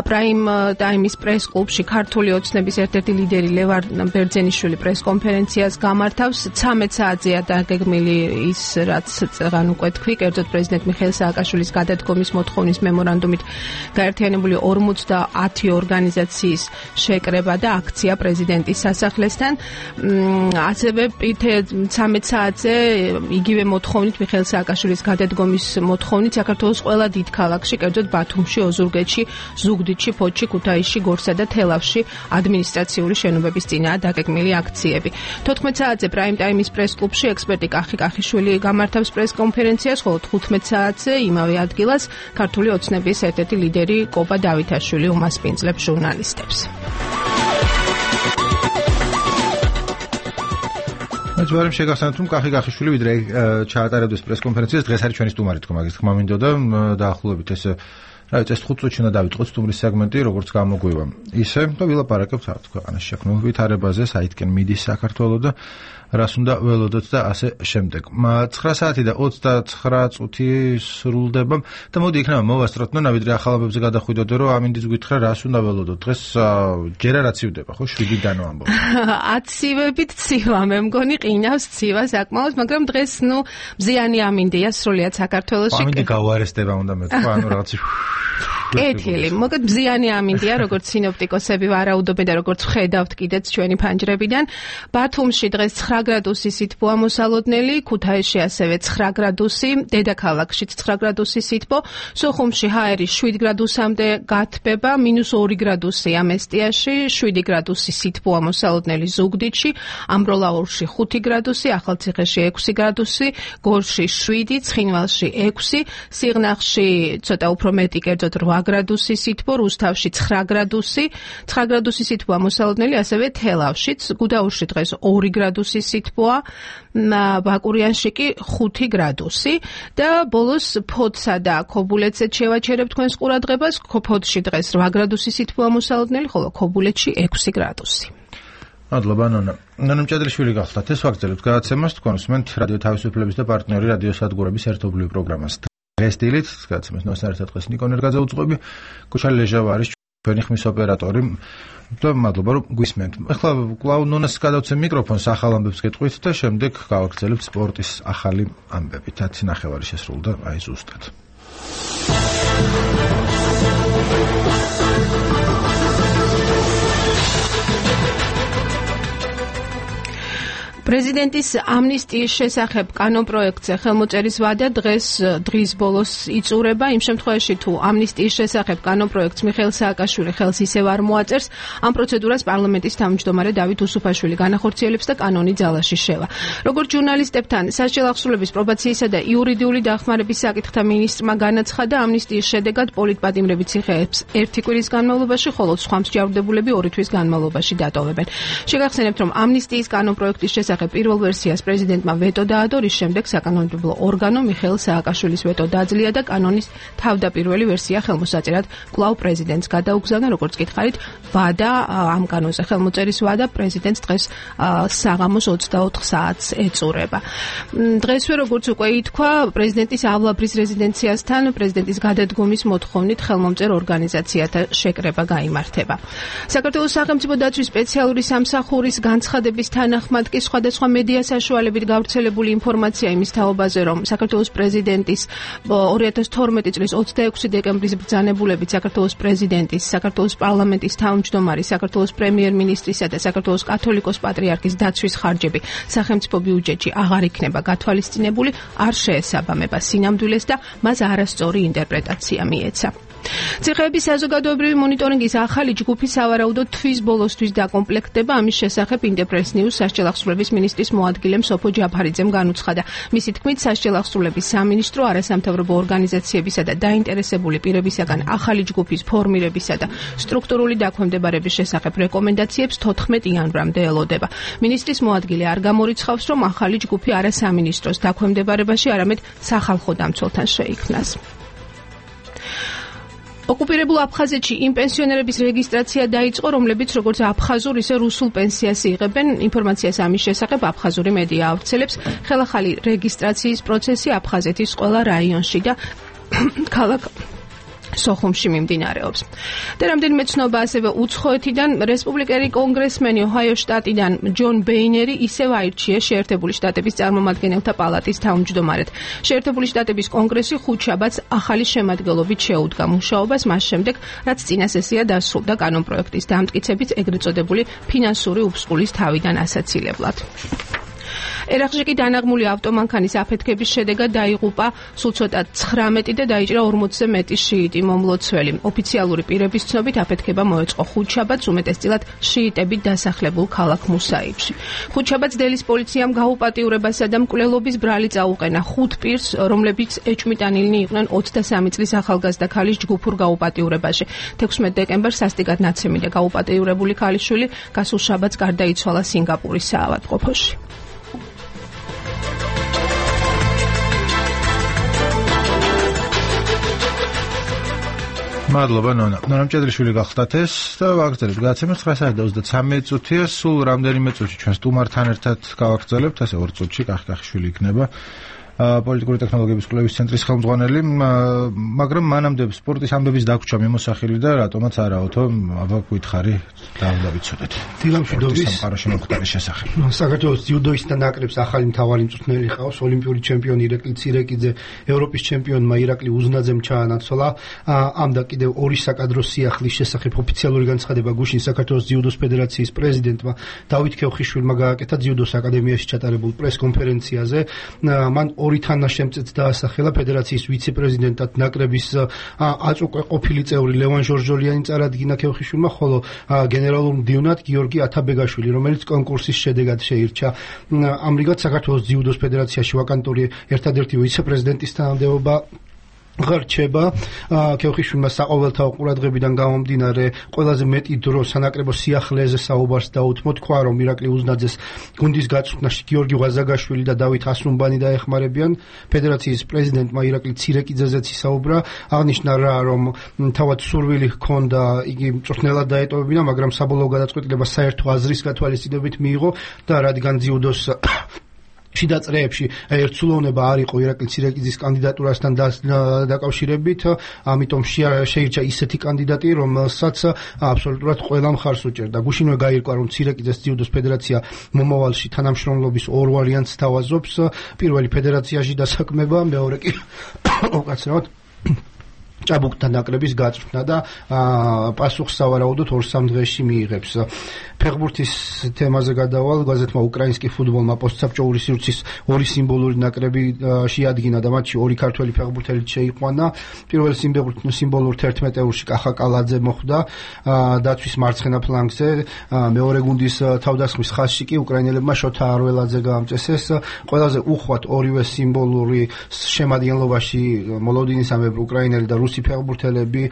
პრაიმ ტაიმის პრეს-კლუბში ქართული ოცნების ერთ-ერთი ლიდერი ლევან ბერძენიშვილი პრეს-კონფერენციას გამართავს. 13 საათზეა დაგეგმილი ის რაც წეგან უკვე თქვი, კერძოდ პრეზიდენტ მიხეილ სააკაშვილის გადადგომის მოთხოვნის მემორანდუმით გაერთიანებული 50 ორგანიზაციის შეკრება და აქცია პრეზიდენტის სასახლესთან. ასევე 13 საათზე იგივე მოთხოვნით მიხეილ სააკაშვილის გადადგომის მოთხოვნით საქართველოს ყველა დიდ ქალაქში, კერძოდ ბათუმში, ოზურგეთში, ზუგდიდში, ფოთში, ქუთაისში, გორსა და თელავში ადმინისტრაციული შენობების წინაა დაგეგმილი აქციები. 14 საათზე პრაიმ ტაიმის პრეს-კლუბში ექსპერტი კახიშვილი გამართავს პრეს-კონფერენციას, ხოლო 15 საათზე იმავე ადგილას ქართული ოცნების ერთ-ერთი ლიდერი კობა დავითაშვილი უმასპინძლებს ჟურნალისტებს. მეც ვარ შეგახსენოთ, რომ კახიშვილი ვიდრე ჩაატარებდეს პრეს-კონფერენციას, დღეს არის ჩვენი სტუმარი, თქო, მაგის თქმა მინდოდა დაახლოებით ეს რა ვიცი, 5 წუთში უნდა დავიწყოთ სტუმრის სეგმენტი, როგორც გამოგვივა. ისე და ვილაპარაკებთ საერთოდ ქვეყანაში შექმნილ ვითარებაზე, საითკენ მიდის საქართველო და რას უნდა ველოდოთ და ასე შემდეგ. 9 საათი და 29 წუთი სრულდება და მოდი იქნება მოვასწროთ, ვიდრე ახალ ამბებზე გადახვიდოდე, რომ ამინდის გითხრა რას უნდა ველოდოთ. დღეს ჯერ არ აცივდება, ხო, 7-დანო ამბობ. აცივებით ცივა, მე მგონი ყინავს ცივა საკმაოდ, მაგრამ დღეს მზიანი ამინდია სრულიად საქართველოში. ამინდი გავარესტება უნდა მეთქვა, რაღაც კეთილი, მოგეთ მზიანი ამინდია, როგორც სინოპტიკოსები ვარაუდობენ და როგორც ხედავთ კიდეც ჩვენი ფანჯრებიდან. ბათუმში დღეს 9 გრადუსი სითბო ამოსალოდნელი, ქუთაისში ასევე 9 გრადუსი, დედაქალაქშიც 9 გრადუსი სითბო, სოხუმში ჰაერი 7 გრადუსამდე გათბება, -2 გრადუსი ამესტიაში, 7 გრადუსი სითბო ამოსალოდნელი ზუგდიდში, ამბროლაურში 5 გრადუსი, ახალციხეში 6 გრადუსი, გორში 7, ცხინვალში 6, სიღნაღში ცოტა უფრო მეტი, კერძოდ 8 გრადუსი სითბო, რუსთავში 9 გრადუსი, 9 გრადუსი სითბო ამოსალოდნელი, ასევე თელავშიც, გუდაურში დღეს 2 გრადუსი სითბოა, ბაკურიანში კი 5 გრადუსი და ბოლოს ფოთსა და ქობულეთზეც შევაჩერებთ თქვენს ყურადღებას, ფოთში დღეს 8 გრადუსი სითბო ამოსალოდნელი, ხოლო ქობულეთში 6 გრადუსი. მადლობა ნონა. ნონა მჭედლიშვილი გახლდათ. ეს ვაგრძელებთ გადაცემას, თქვენ უსმენთ რადიო თავისუფლების და პარტნიორი რადიოსადგურების ერთობლივ პროგრამას. დღესდილით გადაცემას ნოსართა დღეს ნიკონ ერგაძე უძღვები, გოჩა ლეჟავა არის ჩვენი ხმის ოპერატორი. და მადლობა რომ გვისმენთ. ახლა კვლავ ნონას გადავცემ მიკროფონს ახალ ამბებს გეტყვით და შემდეგ გავაგრძელებთ სპორტის ახალი ამბები. 10 ნახევარი შესრულდა აი ზუსტად. პრეზიდენტის ამნისტიის შესახებ კანონპროექტზე ხელმოწერის ვადა დღის ბოლოს იწურება. იმ შემთხვევაში, თუ ამნისტიის შესახებ კანონპროექტს მიხეილ სააკაშვილი ხელს ისევ არ მოაწერს, ამ პროცედურას პარლამენტის თავმჯდომარე დავით უსუფაშვილი განახორციელებს და კანონი ძალაში შევა. როგორც ჟურნალისტებთან სასჯელ აღსრულების პრობაციისა და იურიდიული დახმარების საკითხთა მინისტრმა განაცხადა, ამნისტიის შედეგად პოლიტპატიმრები ციხეებს 1 კვირის განმავლობაში, ხოლო სხვა მსჯავრდებულები 2 თვის განმავლობაში დატოვებენ. შეგახსენებთ, რომ ამნისტიის კანონპროექტის შესახებ პირველ ვერსიას პრეზიდენტმა ვეტო დაადო, რის შემდეგ საკანონმდებლო ორგანო მიხეილ სააკაშვილის ვეტო დაძლია და კანონის თავდაპირველი ვერსია ხელმოსაწერად კვლავ პრეზიდენტს გადაუგზავნა. როგორც გითხარით, ვადა ამ კანონზე ხელმოწერის ვადა პრეზიდენტს დღეს საღამოს 24 საათს ეწურება. დღესვე როგორც უკვე ითქვა, პრეზიდენტის ავლაბრის რეზიდენციასთან პრეზიდენტის გადადგომის მოთხოვნით ხელმომწერ ორგანიზაციათა შეკრება გაიმართება. საქართველოს სახელმწიფო დაცვის სპეციალური სამსახურის განცხადების თანახმად კი სხვადასხვა მედია საშუალებით გავრცელებული ინფორმაცია იმის თაობაზე, რომ საქართველოს პრეზიდენტის 2012 წლის 26 დეკემბრის ბრძანებულებით საქართველოს პრეზიდენტის, საქართველოს პარლამენტის თავმჯდომარის, საქართველოს პრემიერ-მინისტრისა და საქართველოს კათოლიკოს პატრიარქის დაცვის ხარჯები სახელმწიფო ბიუჯეტში აღარ იქნება გათვალისწინებული, არ შეესაბამება სინამდვილეს და მას არასწორი ინტერპრეტაცია მიეცა. ციხეების საზოგადოებრივი მონიტორინგის ახალი ჯგუფი სავარაუდოდ თვის ბოლოსთვის დაკომპლექტდება. ამის შესახებ ინტერპრეს ნიუს სასჯელ აღსრულების მინისტრის მოადგილემ სოფო ჯაფარიძემ განუცხადა. მისი თქმით, სასჯელ აღსრულების სამინისტრო არასამთავრობო ორგანიზაციებისა და დაინტერესებული პირებისაგან ახალი ჯგუფის ფორმირებისა და სტრუქტურული დაქვემდებარების შესახებ რეკომენდაციებს 14 იანვრამდე ელოდება. მინისტრის მოადგილე არ გამორიცხავს, რომ ახალი ჯგუფი არა სამინისტროს დაქვემდებარებაში, არამედ სახალხო დამცველთან შეიქმნას. ოკუპირებულ აფხაზეთში იმ პენსიონერების რეგისტრაცია დაიწყო, რომლებიც როგორც აფხაზურ, ისე რუსულ პენსიას იღებენ. ინფორმაციას ამის შესახებ აფხაზური მედია ავრცელებს. ხელახალი რეგისტრაციის პროცესი აფხაზეთის ყველა რაიონში და ქალაქ სოხუმში მიმდინარეობს. და რამდენიმე ცნობა ასევე უცხოეთიდან, რესპუბლიკელი კონგრესმენი ოჰაიოს შტატიდან ჯონ ბეინერი ისევ აირჩიეს შეერთებული შტატების წარმომადგენელთა პალატის თავმჯდომარედ. შეერთებული შტატების კონგრესი ხუთშაბათს ახალი შემადგენლობით შეუდგა მუშაობას მას შემდეგ, რაც წინა სესია დასრულდა კანონპროექტის დამტკიცებით ეგრეთ წოდებული ფინანსური უფსკულის თავიდან ასაცილებლად. ერაყში კი დანაღმული ავტომანქანის აფეთქების შედეგად დაიღუპა სულ ცოტა 19 და დაიჭრა 40-ზე მეტი შიიტი მომლოცველი. ოფიციალური პირების ცნობით აფეთქება მოეწყო ხუთშაბათს, უმეტესწილად შიიტებით დასახლებულ ქალაქ მუსაიბში. ხუთშაბათს დელის პოლიციამ გაუპატიურებასა და მკვლელობის ბრალი წაუყენა 5 პირს, რომლებიც ეჭვმიტანილნი იყვნენ 23 წლის ახალგაზრდა ქალის ჯგუფურ გაუპატიურებაში. 16 დეკემბერს სასტიკად ნაცემი და გაუპატიურებული ქალიშვილი გასულ შაბათს გარდაიცვალა სინგაპურის საავადმყოფოში. მადლობა ნონა. ნონა მჭედლიშვილი გახლდათ ეს და ვაგრძელებთ გადაცემას 9:23 წუთია. სულ რამდენიმე წუთში ჩვენ სტუმართან ერთად გავაგრძელებთ, ასე 2 წუთში კახკახიშვილი იქნება პოლიტიკური ტექნოლოგიების კვლევის ცენტრის ხელმძღვანელი, მაგრამ მანამდე სპორტის ამბების დაგვრჩა მიმოსახილი და რატომაც არაოთო აბა გვითხარი და ვიცოდეთ. დილამშვიდობის სამყაროში მოხდარის შესახებ. საქართველოს ძიუდოისტთა ნაკრებს ახალი მთავარი მწვრთნელი ყავს, ოლიმპიური ჩემპიონი ირაკლი ცირეკიძე, ევროპის ჩემპიონმა ირაკლი უზნაძემ ჩაანაცვლა. ამ და კიდევ ორი საკადრო სიახლის შესახებ ოფიციალური განცხადება გუშინ საქართველოს ძიუდოს ფედერაციის პრეზიდენტმა დავით ქევხიშვილმა გააკეთა ძიუდოს აკადემიაში ჩატარებულ პრეს-კონფერენციაზე. მან ორი თანაშემწეც დაასახელა ფედერაციის ვიცე-პრეზიდენტად ნაკრების აწუყვე ყოფილი წევრი ლევან ჟორჟოლიანი წარადგინა ქევხიშვილმა, ხოლო გენერალურ მდივნად გიორგი ათაბეგაშვილი, რომელიც კონკურსის შედეგად შეირჩა. ამრიგად საქართველოს ძიუდოს ფედერაციაში ვაკანტური ერთადერთი ვიცე-პრეზიდენტის თანამდებობა ღარჩება. ქევხიშვილმა საყოველთაო ყურადღებიდან გამომდინარე ყველაზე მეტი დრო სანაკრებო სიახლეზე საუბარს დაუთმო, თქვა რომ ირაკლი უზნაძეს გუნდის გაწვრთნაში გიორგი ვაზაგაშვილი და დავით ასუმბანი დაეხმარებიან. ფედერაციის პრეზიდენტმა ირაკლი ცირეკიძეზეც ისაუბრა, აღნიშნა რა რომ თავად სურვილი ჰქონდა იგი მწვრთნელად დაეტოვებინა, მაგრამ საბოლოო გადაწყვეტილება საერთო აზრის გათვალისწინებით მიიღო და რადგან ძიუდოს შიდა წრეებში ერთსულოვნება არ იყო ირაკლი ცირეკიძის კანდიდატურასთან დაკავშირებით, ამიტომ შეირჩა ისეთი კანდიდატი, რომელსაც აბსოლუტურად ყველა მხარს უჭერდა. გუშინვე გაირკვა, რომ ცირეკიძეს ძიუდოს ფედერაცია მომავალში თანამშრომლობის ორ ვარიანტს თავაზობს. პირველი ფედერაციაში დასაქმება, მეორე კი უკაცრავად ჭაბუკთა ნაკრების გაწვრთნა და პასუხს სავარაუდოდ 2-3 დღეში მიიღებს. ფეხბურთის თემაზე გადავალ, გაზეთმა უკრაინსკი ფუტბოლმა პოსტსაბჭოური სივრცის ორი სიმბოლური ნაკრები შეადგინა და მათში ორი ქართველი ფეხბურთელი შეიყვანა. პირველ სიმბოლურ 11 ევრში კახა კალაძე მოხვდა დაცვის მარცხენა ფლანგზე, მეორე გუნდის თავდასხმის ხაზში კი უკრაინელებმა შოთა არველაძე გაამწესეს. ყველაზე უხვად ორივე სიმბოლური შემადგენლობაში მოლოდინის ამებრ უკრაინელი და რუსი ფეხბურთელები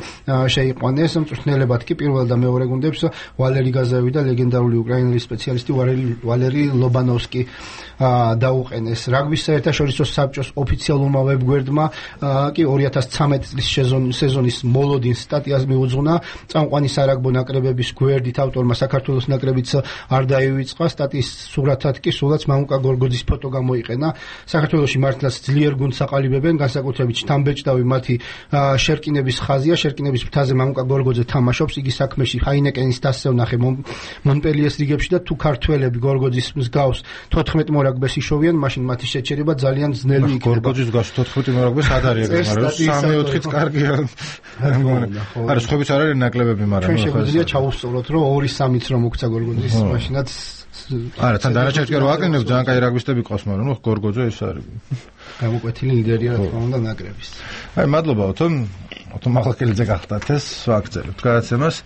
შეიყვანეს. მწვრთნელებად კი პირველ და მეორე გუნდებს ვალერი გაზავი და ლეგენდარული უკრაინელი სპეციალისტი ვალერი ლობანოვსკი დაუყენეს. რაგბის საერთაშორისო საბჭოს ოფიციალურმა ვებგვერდმა კი 2013 წლის სეზონის მოლოდინს სტატიას მიუძღვნა. წამყვანი სარაგბო ნაკრებების გვერდით ავტორმა საქართველოს ნაკრებიც არ დაივიწყა. სტატიის სურათად კი სულაც მამუკა გორგოძის ფოტო გამოიყენა. საქართველოში მართლაც ძლიერ გუნდს აყალიბებენ, განსაკუთრებით შთამბეჭდავი მათი შერკინების ხაზია. შერკინების ფრთაზე მამუკა გორგოძე თამაშობს, იგი საქმეში ჰაინეკენის დასზე ვნახე მონპელიეს რიგებში და თუ ქართველები გორგოძის მსგავს 14 მორაგბეს იშოვიან, მაშინ მათი შეჩერება ძალიან ძნელი იქნება. გორგოძის მსგავს 14 მორაგბეს არ არის, მაგრამ 3-4-იც კარგია. არა, სხვაებიც არ არის ნაკლებები, მაგრამ ჩვენ შეგვიძლია ჩავუსწოროთ, რომ 2-3-იც რომ მოგცა გორგოძის, მაშინაც არა, თან დანარჩენს კი რო აკეთებ, ძალიან კაი რაგბისტები ყავს, მაგრამ გორგოძე ეს არის. გამოკვეთილი ლიდერია რა თქმა უნდა ნაკრების. აი, მადლობა ოთო მაღლაკელიძე გახდათ ეს ვაგრძელებთ გადაცემას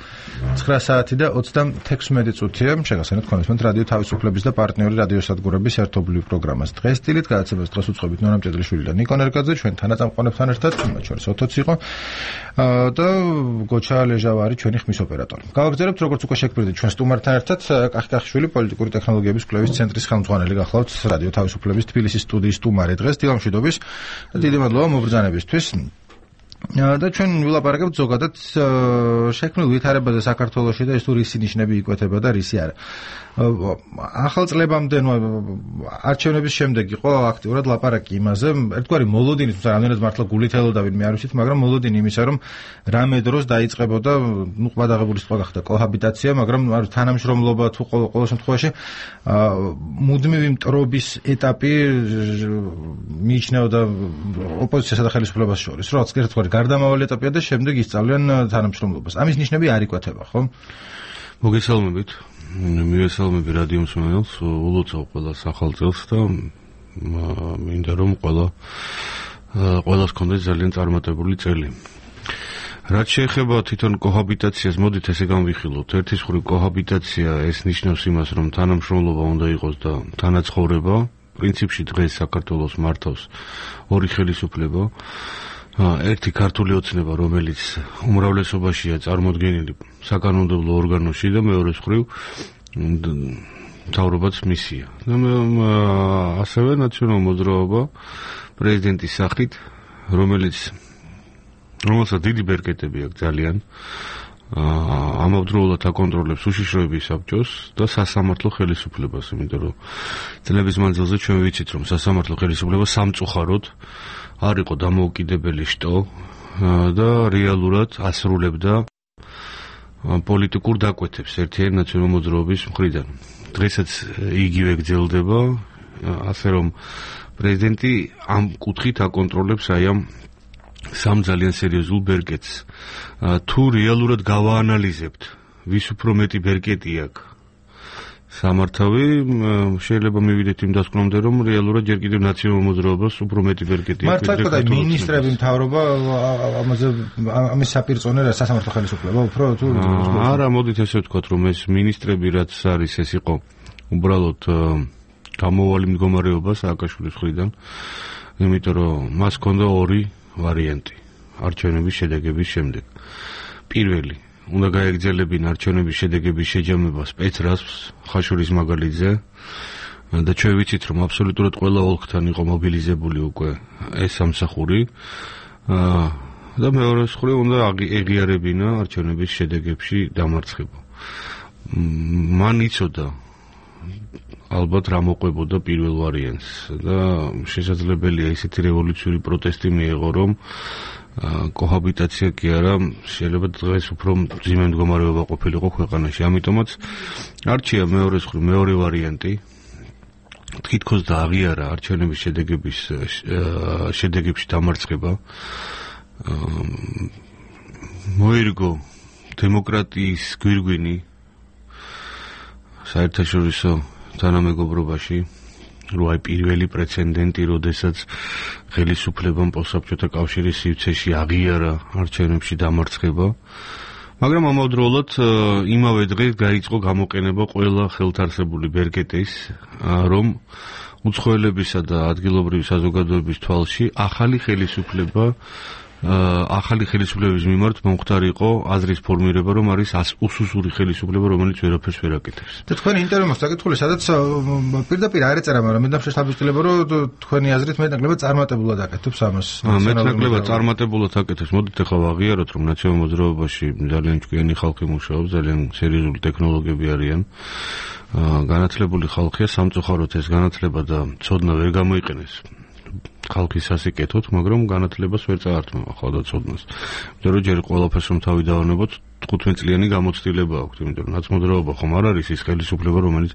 9 საათი და 36 წუთია. შეგახსენებთ ქონესმენთ რადიო თავისუფლების და პარტნიორი რადიოსადგურების ერთობლივ პროგრამას დღეს სტილით გადაცემას დღეს უწყობით ნონა მჭედლიშვილი და ნიკო ნერგაძე, ჩვენ თანაწამყვანებთან ერთად, მათ შორის ოთოც იყო და გოჩა ლეჟავარი ჩვენი ხმის ოპერატორი. გავაგრძელებთ როგორც უკვე შეგვიძლია ჩვენ სტუმართან ერთად კახკახიშვილი პოლიტიკური ტექნოლოგიების კვლევის ცენტრის ხელმძღვანელი გახლავთ რადიო თავისუფლების თბილისის სტუდიის სტუმარი დღეს. დილამშვიდობის და დიდი მადლობა მობრძანებისთვის. და ჩვენ ვილაპარაკებთ ზოგადად შექმნილ ვითარებაზე საქართველოში და ეს თუ რისი ნიშნები იკვეთება და რისი არა. ახალ წლებამდე არჩევნების შემდეგ იყო აქტიურად ლაპარაკი იმაზე, ერთგვარი მოლოდინის, თუმცა რამდენად მართლა გულით ელოდა ვინმე არ ვიცით, მაგრამ მოლოდინი იმისა, რომ რამე დროს დაიწყებოდა, ყვადაღებული სიტყვა გახდა კოჰაბიტაცია, მაგრამ თანამშრომლობა თუ ყოველ შემთხვევაში მუდმივი მტრობის ეტაპი მიიჩნეოდა ოპოზიციასა და ხელისუფლებას შორის, რომ ერთგვარი გარდამავალი ეტაპია და შემდეგ ისწავლიან თანამშრომლობას. ამის ნიშნები არ იკვეთება, ხო? მოგესალმებით. მივესალმები რადიო მსმენელს, ულოცავ ყველა სახალწელს და მინდა რომ ყველას კონდეს ძალიან წარმატებული წელი. რაც შეეხება თვითონ კოჰაბიტაციას, მოდით ესე განვიხილოთ. ერთის მხრივ კოჰაბიტაცია ეს ნიშნავს იმას, რომ თანამშრომლობა უნდა იყოს და თანაცხოვრება. პრინციპში დღეს საქართველოს მართავს ორი ხელისუფლება. ერთი ქართული ოცნება, რომელიც უმრავლესობაშია წარმოდგენილი საკანონმდებლო ორგანოში და მეორე მხრივ მთავრობაც მისია. ასევე ნაციონალურ მოძრაობა პრეზიდენტის სახით, რომელიც რომელსაც დიდი ბერკეტები აქვს ძალიან. ამავდროულად აკონტროლებს უშიშროების საბჭოს და სასამართლო ხელისუფლებას, იმიტომ რომ წლების მანძილზე ჩვენ ვიცით, რომ სასამართლო ხელისუფლება სამწუხაროდ არ იყო დამოუკიდებელი შტო და რეალურად ასრულებდა პოლიტიკურ დაკვეთებს ერთიანი ნაციონალური მოძრაობის მხრიდან. დღესაც იგივე გრძელდება, ასე რომ პრეზიდენტი ამ კუთხით აკონტროლებს აი ამ სამ ძალიან სერიოზულ ბერკეტს. თუ რეალურად გავაანალიზებთ, ვის უფრო მეტი ბერკეტი აქვს სამართავი, შეიძლება მივიდეთ იმ დასკვნამდე, რომ რეალურად ჯერ კიდევ ნაციონალურ მოძრაობას უფრო მეტი ბერკეტი აქვს. მართლა თქვა მინისტრები მთავრობა ამაზე ამის საპირწონე რა სასამართლო ხელისუფლება უფრო თუ არა, მოდით ესე ვთქვათ, რომ ეს მინისტრები რაც არის, ეს იყო უბრალოდ გამოვალი მდგომარეობა სააკაშვილის მხრიდან, იმიტომ რომ მას ჰქონდა ორი ვარიანტი არჩევნების შედეგების შემდეგ. პირველი, უნდა გაეგრძელებინა არჩევნების შედეგების შეჯამება სპეცრაზმს ხაშურის მაგალითზე და ჩვენ ვიცით, რომ აბსოლუტურად ყველა ოლქთან იყო მობილიზებული უკვე ეს სამსახური და მეორე მხრივ უნდა ეღიარებინა არჩევნების შედეგებში დამარცხება. მან იცოდა ალბათ რა მოყვებოდა პირველ ვარიანტს და შესაძლებელია ისეთი რევოლუციური პროტესტი მიეღო, რომ კოჰაბიტაცია კი არა, შეიძლება დღეს უფრო მძიმე მდგომარეობა ყოფილიყო ქვეყანაში. ამიტომაც არჩია მეორე ვარიანტი, თითქოს დააღიარა არჩევნების შედეგებში დამარცხება. მოერგო დემოკრატიის გვირგვინი საერთაშორისო თანამეგობრობაში, რომ აი პირველი პრეცედენტი, როდესაც ხელისუფლებამ პოსტსაბჭოთა კავშირის სივრცეში აღიარა არჩევნებში დამარცხება, მაგრამ ამავდროულად იმავე დღეს გაიწყო გამოყენება ყველა ხელთარსებული ბერკეტის, რომ უცხოელებისა და ადგილობრივი საზოგადოების თვალში ახალი ხელისუფლების მიმართ მომხდარიყო აზრის ფორმირება, რომ არის უსუსური ხელისუფლება, რომელიც ვერაფერს ვერ აკეთებს. და თქვენი ინტერვიუ მაქვს საკითხული, სადაც პირდაპირ არ ეწერა, მაგრამ მე შეშთაბილება, რომ თქვენი აზრით მეტნაკლებად წარმატებულად აკეთებს ამას. მეტნაკლებად წარმატებულად აკეთებს. მოდით ახლა ვაღიაროთ, რომ ნაციონალურ მოძრაობაში ძალიან ჭკვიანი ხალხი მუშაობს, ძალიან სერიოზული ტექნოლოგიები არიან. განათლებული ხალხია, სამწუხაროდ ეს განათლება და ცოდნა ვერ გამოიყენეს ხალხის სასიკეთოდ, მაგრამ განათლებას ვერ წაართმევა ხალხი ცოდნას. იმიტომ რომ ჯერ ყველაფერს რომ თავი დავანებოთ, 15 წლიანი გამოცდილება აქვს, იმიტომ რომ ნაცმოძრაობა ხომ არ არის ის ხელისუფლება, რომელიც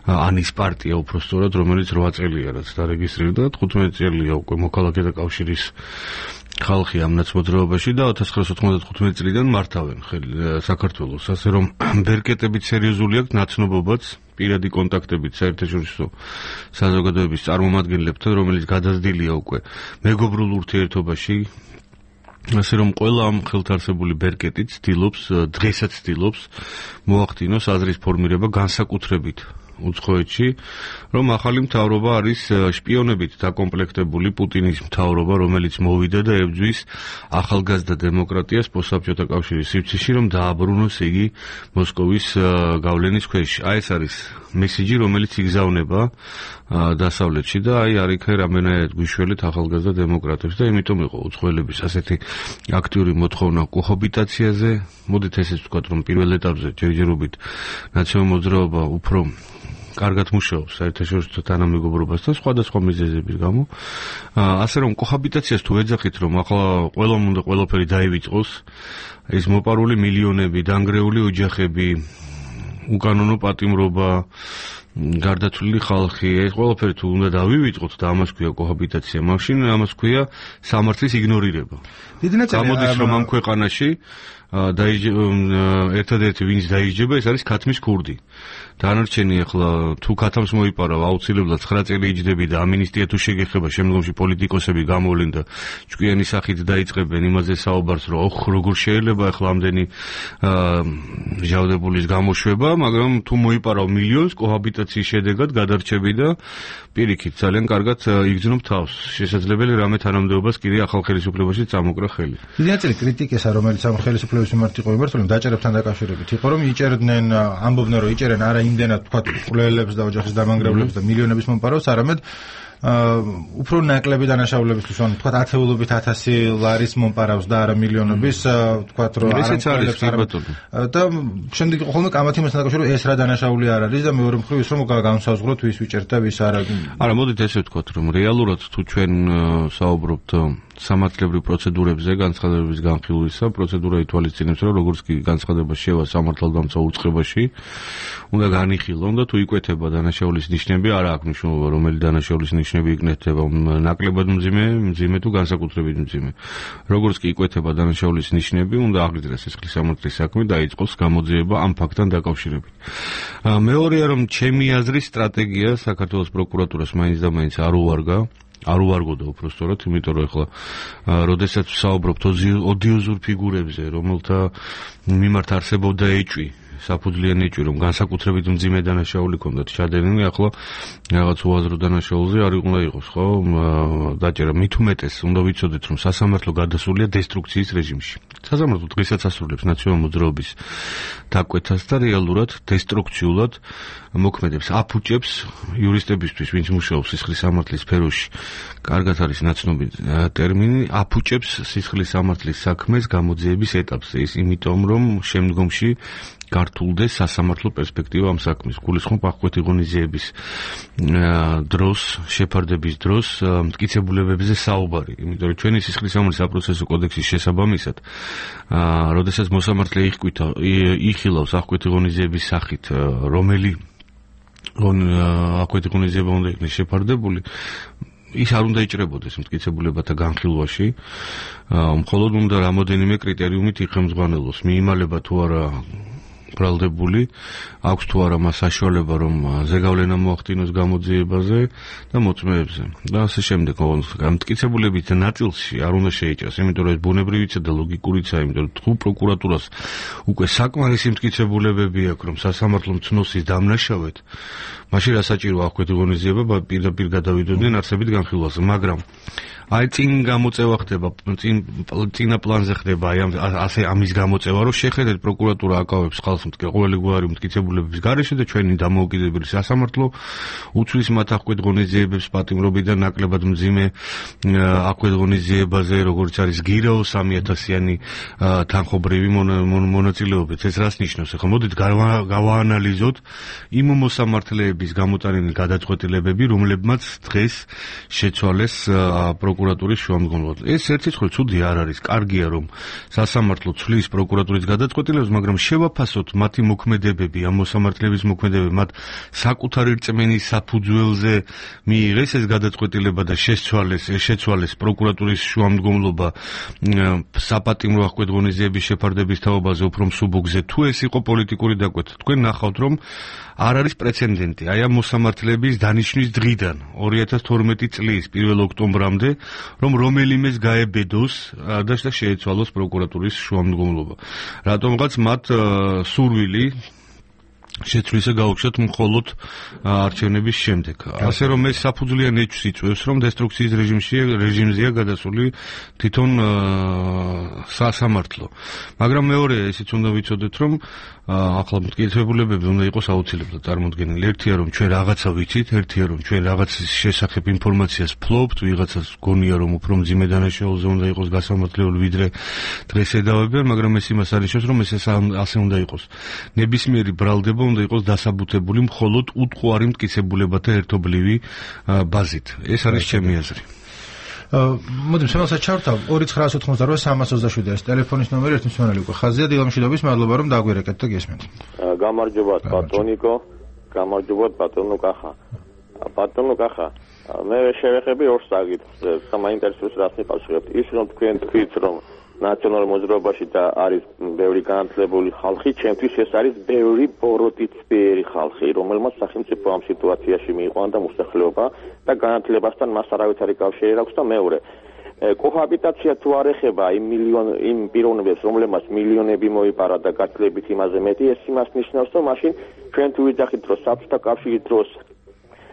ანის პარტია უпростоრად, რომელიც 8 წელია რაც დარეგისტრირდა, 15 წელია უკვე მოქალაქეთა კავშირის ხალხი ამ ნაცმოძრაობაში და 1995 წლიდან მართავენ საქართველოს, ასე რომ ბერკეტებით სერიოზული აქვს ნაცნობობაც, პირადი კონტაქტებით საერთაშორისო საზოგადოების წარმომადგენლებთან, რომელიც გადაზრდილია უკვე მეგობრულ ურთიერთობაში, ასე რომ ყველა ამ ხელთარსებული ბერკეტი დღესაც ცდილობს მოახდინოს აზრის ფორმირება განსაკუთრებით უცხოეთში, რომ ახალი მთავრობა არის შპიონებით დაკომპლექტებული პუტინის მთავრობა, რომელიც მოვიდა და ებრძვის ახალგაზრდა დემოკრატიას პოსტსაბჭოთა კავშირის სივრცეში, რომ დააბრუნოს იგი მოსკოვის გავლენის ქვეშ. აი ეს არის მესიჯი, რომელიც იგზავნება დასავლეთში და აი არიქე რამენად გვიშველეთ ახალგაზრდა დემოკრატებს და იმიტომ იყო უცხოელების ასეთი აქტიური მოთხოვნა კოჰაბიტაციაზე. მოდით ესეც ვთქვათ, რომ პირველ ეტაპზე ჯერჯერობით ნაციონალურ მოძრაობა უფრო კარგად მუშაობს საერთაშორისო თანამეგობრობასთან სხვადასხვა მიზეზების გამო. ასე რომ კოჰაბიტაციას თუ ეძახით, რომ ახლა ყველამ უნდა ყველაფერი დაივიწყოს, ეს მოპარული მილიონები, დანგრეული ოჯახები, უკანონო პატიმრობა, გარდაცვლილი ხალხი, ეს ყველაფერი თუ უნდა დავივიწყოთ და ამას ქვია კოჰაბიტაცია, მაშინ ამას ქვია სამართლის იგნორირება. გამოდის რომ ამ ქვეყანაში ერთადერთი ვინც დაიჯება, ეს არის ქათმის ქურდი. დანარჩენი ახლა თუ ქათამს მოიპარავ, აუცილებლად 9 წელი იჯდები და ამინისტია თუ შეგეხება, შემდგომში პოლიტიკოსები გამოვლენ და ჭკვიანი სახით დაიწყებენ იმაზე საუბარს, რომ როგორ შეიძლება ახლა ამდენი ჟავდებულის გამოშვება, მაგრამ თუ მოიპარავ მილიონს კოჰაბიტაციის შედეგად გადარჩები და პირიქით ძალიან კარგად იგრძნობ თავს. შესაძლებელი რამე თანამდებობას კიდე ახალ ხელისუფლებაში წამოკრა ხელი. დიდი ნაწილი კრიტიკისა, რომელიც ამ ხელისუფლების მიმართ იყო მიმართული, დაჭერებთან დაკავშირებით იყო, რომ იჭერდნენ, ამბობდნენ, რომ იჭერენ არა იმდენად თქვა ყვლელებს და ოჯახის დამანგრევლებს და მილიონების მომპარავს, არამედ უფრო ნაკლები დანაშაულებისთვის, ანუ თქვა ათეულობით 1000 ლარის მომპარავს და არა მილიონების, თქვა რომ ესეც არის ბატონო. და შემდეგ იყო ხოლმე კამათი მასთან დაკავშირებით ეს რა დანაშაული არ არის და მეორე მხრივ ის რომ განსაზღვროთ ვის ვიჭერთ და ვის არა. არა, მოდით ესე ვთქვათ, რომ რეალურად თუ ჩვენ საუბრობთ სამართლებრივ პროცედურებზე განცხადების განხილვისა, პროცედურა ითვალისწინებს, რომ როგორც კი განცხადება შევა სამართალდამცავ უწყებაში, უნდა განიხილონ და თუ იკვეთება დანაშაულის ნიშნები, არა აქვს მნიშვნელობა, რომელი დანაშაულის ნიშნები იქნეთება, ნაკლებად მძიმე თუ განსაკუთრებით მძიმე. როგორც კი იკვეთება დანაშაულის ნიშნები, უნდა აღიძრას სისხლის სამართლის საქმე და დაიწყოს გამოძიება ამ ფაქტთან დაკავშირებით. მეორეა, რომ ჩემი აზრის სტრატეგია საქართველოს პროკურატურას მაინც და მაინც არ უვარგოდა უпростоრად, იმიტომ რომ ეხლა როდესაც ვსაუბრობთ ოდიოზურ ფიგურებზე, რომელთა მიმართ არსებობდა ეჭვი, საფუძვლიანი ეჭვი, რომ განსაკუთრებით მძიმე დანაშაული ჰქონდათ ჩადენილი, ახლა რაღაც უაზრო დანაშაულზე არ უნდა იყოს, ხო? დაჭერა მით უმეტეს უნდა ვიცოდეთ, რომ სასამართლო გადასულია დესტრუქციის რეჟიმში. სასამართლო დღესაც ასრულებს ნაციონალურ მოძრაობის დაკვეთას და რეალურად დესტრუქციულად მოქმედებს, აფუჭებს იურისტებისთვის, ვინც მუშაობს სისხლის სამართლის სფეროში. კარგად არის ნაცნობი ტერმინი, აფუჭებს სისხლის სამართლის საქმეს გამოძიების ეტაპზე. ის იმიტომ, რომ შემდგომში გართულდეს სასამართლო პერსპექტივა ამ საქმის. გულისხმობ აღკვეთი ღონისძიების დროს, შეფარდების დროს მტკიცებულებებზე საუბარი. იმიტომ რომ ჩვენი სისხლის სამართლის საპროცესო კოდექსის შესაბამისად, როდესაც მოსამართლე იხილავს აღკვეთი ღონისძიების სახით, რომელი აღკვეთი ღონისძიება უნდა იქნეს შეფარდებული, ის არ უნდა იჭრებოდეს მტკიცებულებათა განხილვაში, მხოლოდ უნდა რამოდენიმე კრიტერიუმით იხელმძღვანელოს, მიიმალება თუ არა ბრალდებული, აქვს თუ არა მას საშუალება, რომ ზეგავლენა მოახდინოს გამოძიებაზე და მოწმეებზე და ასე შემდეგ. მტკიცებულებით ნაწილში არ უნდა შეიჭრას, იმიტომ რომ ეს ბუნებრივიცა და ლოგიკურიცაა, იმიტომ რომ თუ პროკურატურას უკვე საკმარისი მტკიცებულებები აქვს, რომ სასამართლო მცნობს ის დამნაშავედ, მაშინ რა საჭირო აღკვეთი ღონისძიება პირდაპირ გადავიდოდნენ არსებით განხილვაზე, მაგრამ აი წინ გამოწევა ხდება, წინა პლანზე ხდება ასე ამის გამოწევა, რომ შეხედეთ პროკურატურა აკავებს ხალხს ყოველი გვარი მტკიცებულებების გარეშე და ჩვენი დამოუკიდებელი სასამართლო უცვლის მათ აღკვეთ ღონისძიებებს პატიმრობიდან ნაკლებად მძიმე აღკვეთ ღონისძიებაზე, როგორც არის გირაო 3000-იანი თანხობრივი მონაწილეობით. ეს რას ნიშნავს? ახლა მოდით გავაანალიზოთ იმ მოსამართლეების გამოტანილი გადაწყვეტილებები, რომლებმაც დღეს შეცვალეს პროკურატურის შუამდგომლად. ეს ერთი ცხრა ცუდი არ არის. კარგია, რომ სასამართლო ცვლის პროკურატურის გადაწყვეტილებას, მაგრამ შევაფასოთ მათი მოქმედებები, ამ მოსამართლეების მოქმედებები, მათ საკუთარი რწმენის საფუძველზე მიიღეს ეს გადაწყვეტილება და შეცვალეს პროკურატურის შუამდგომლობა საპატიმრო აღკვეთ ღონისძიების შეფარდების თაობაზე უფრო მსუბუქზე, თუ ეს იყო პოლიტიკური დაკვეთა. თქვენ ნახავთ, რომ არ არის პრეცედენტი აი ამ მოსამართლეების დანიშვნის დღიდან 2012 წლის 1 ოქტომბრამდე, რომ რომელიმეს გაებედოს და შეეცვალოს პროკურატურის შუამდგომლობა. რატომღაც მათ სურვილი შეცვლისა გაუჩნდათ მხოლოდ არჩევნების შემდეგ. ასე რომ ეს საფუძვლიან ეჭვს იწვევს, რომ დესტრუქციის რეჟიმზეა გადასული თვითონ სასამართლო. მაგრამ მეორე ისიც უნდა ვიცოდეთ, რომ ახლა მტკიცებულებები უნდა იყოს აუცილებლად წარმოდგენილი. ერთია, რომ ჩვენ რაღაცა ვიცით, ერთია, რომ ჩვენ რაღაცის შესახებ ინფორმაციას ფლობთ, ვიღაცას გონია, რომ უფრო მძიმე დანაშაულზე უნდა იყოს გასამართლებელი, ვიდრე დღეს ედავებიან, მაგრამ ეს იმას არ ნიშნავს, რომ ეს ასე უნდა იყოს. ნებისმიერი ბრალდება უნდა იყოს დასაბუთებული მხოლოდ უტყუარი მტკიცებულებათა ერთობლივი ბაზით. ეს არის ჩემი აზრი. მოდით შემოსაც ჩავთავ 2988 ეს ტელეფონის ნომერი ერთი მსმენელი უკვე ხაზია. დილამშვიდობის, მადლობა რომ დაგვირეკეთ და გესმენთ. გამარჯობათ ბატონიკო, გამარჯობათ ბატონო კახა. ბატონო კახა, მე შევეხები ორ საკითხს, საინტერესოს რას მიყავშებთ. ის რომ თქვენ თქვით, რომ ნაციონალურ მოძრაობაში და არის ბევრი განათლებული ხალხი, ჩემთვის ეს არის ბევრი ბოროტიწვიერი ხალხი, რომელმაც სახელმწიფო ამ სიტუაციაში მიიყვანა და მოსახლეობა და განათლებასთან მას არავითარი კავშირი აქვს და მეორე კოჰაბიტაცია თუ არ ეხება იმ პიროვნებებს, რომლებმაც მილიონები მოიპარა და გათლებით იმაზე მეტი, ეს იმას ნიშნავს, რომ მაშინ ჩვენ თუ ვიძახით, რომ საბჭოთა კავშირის დროს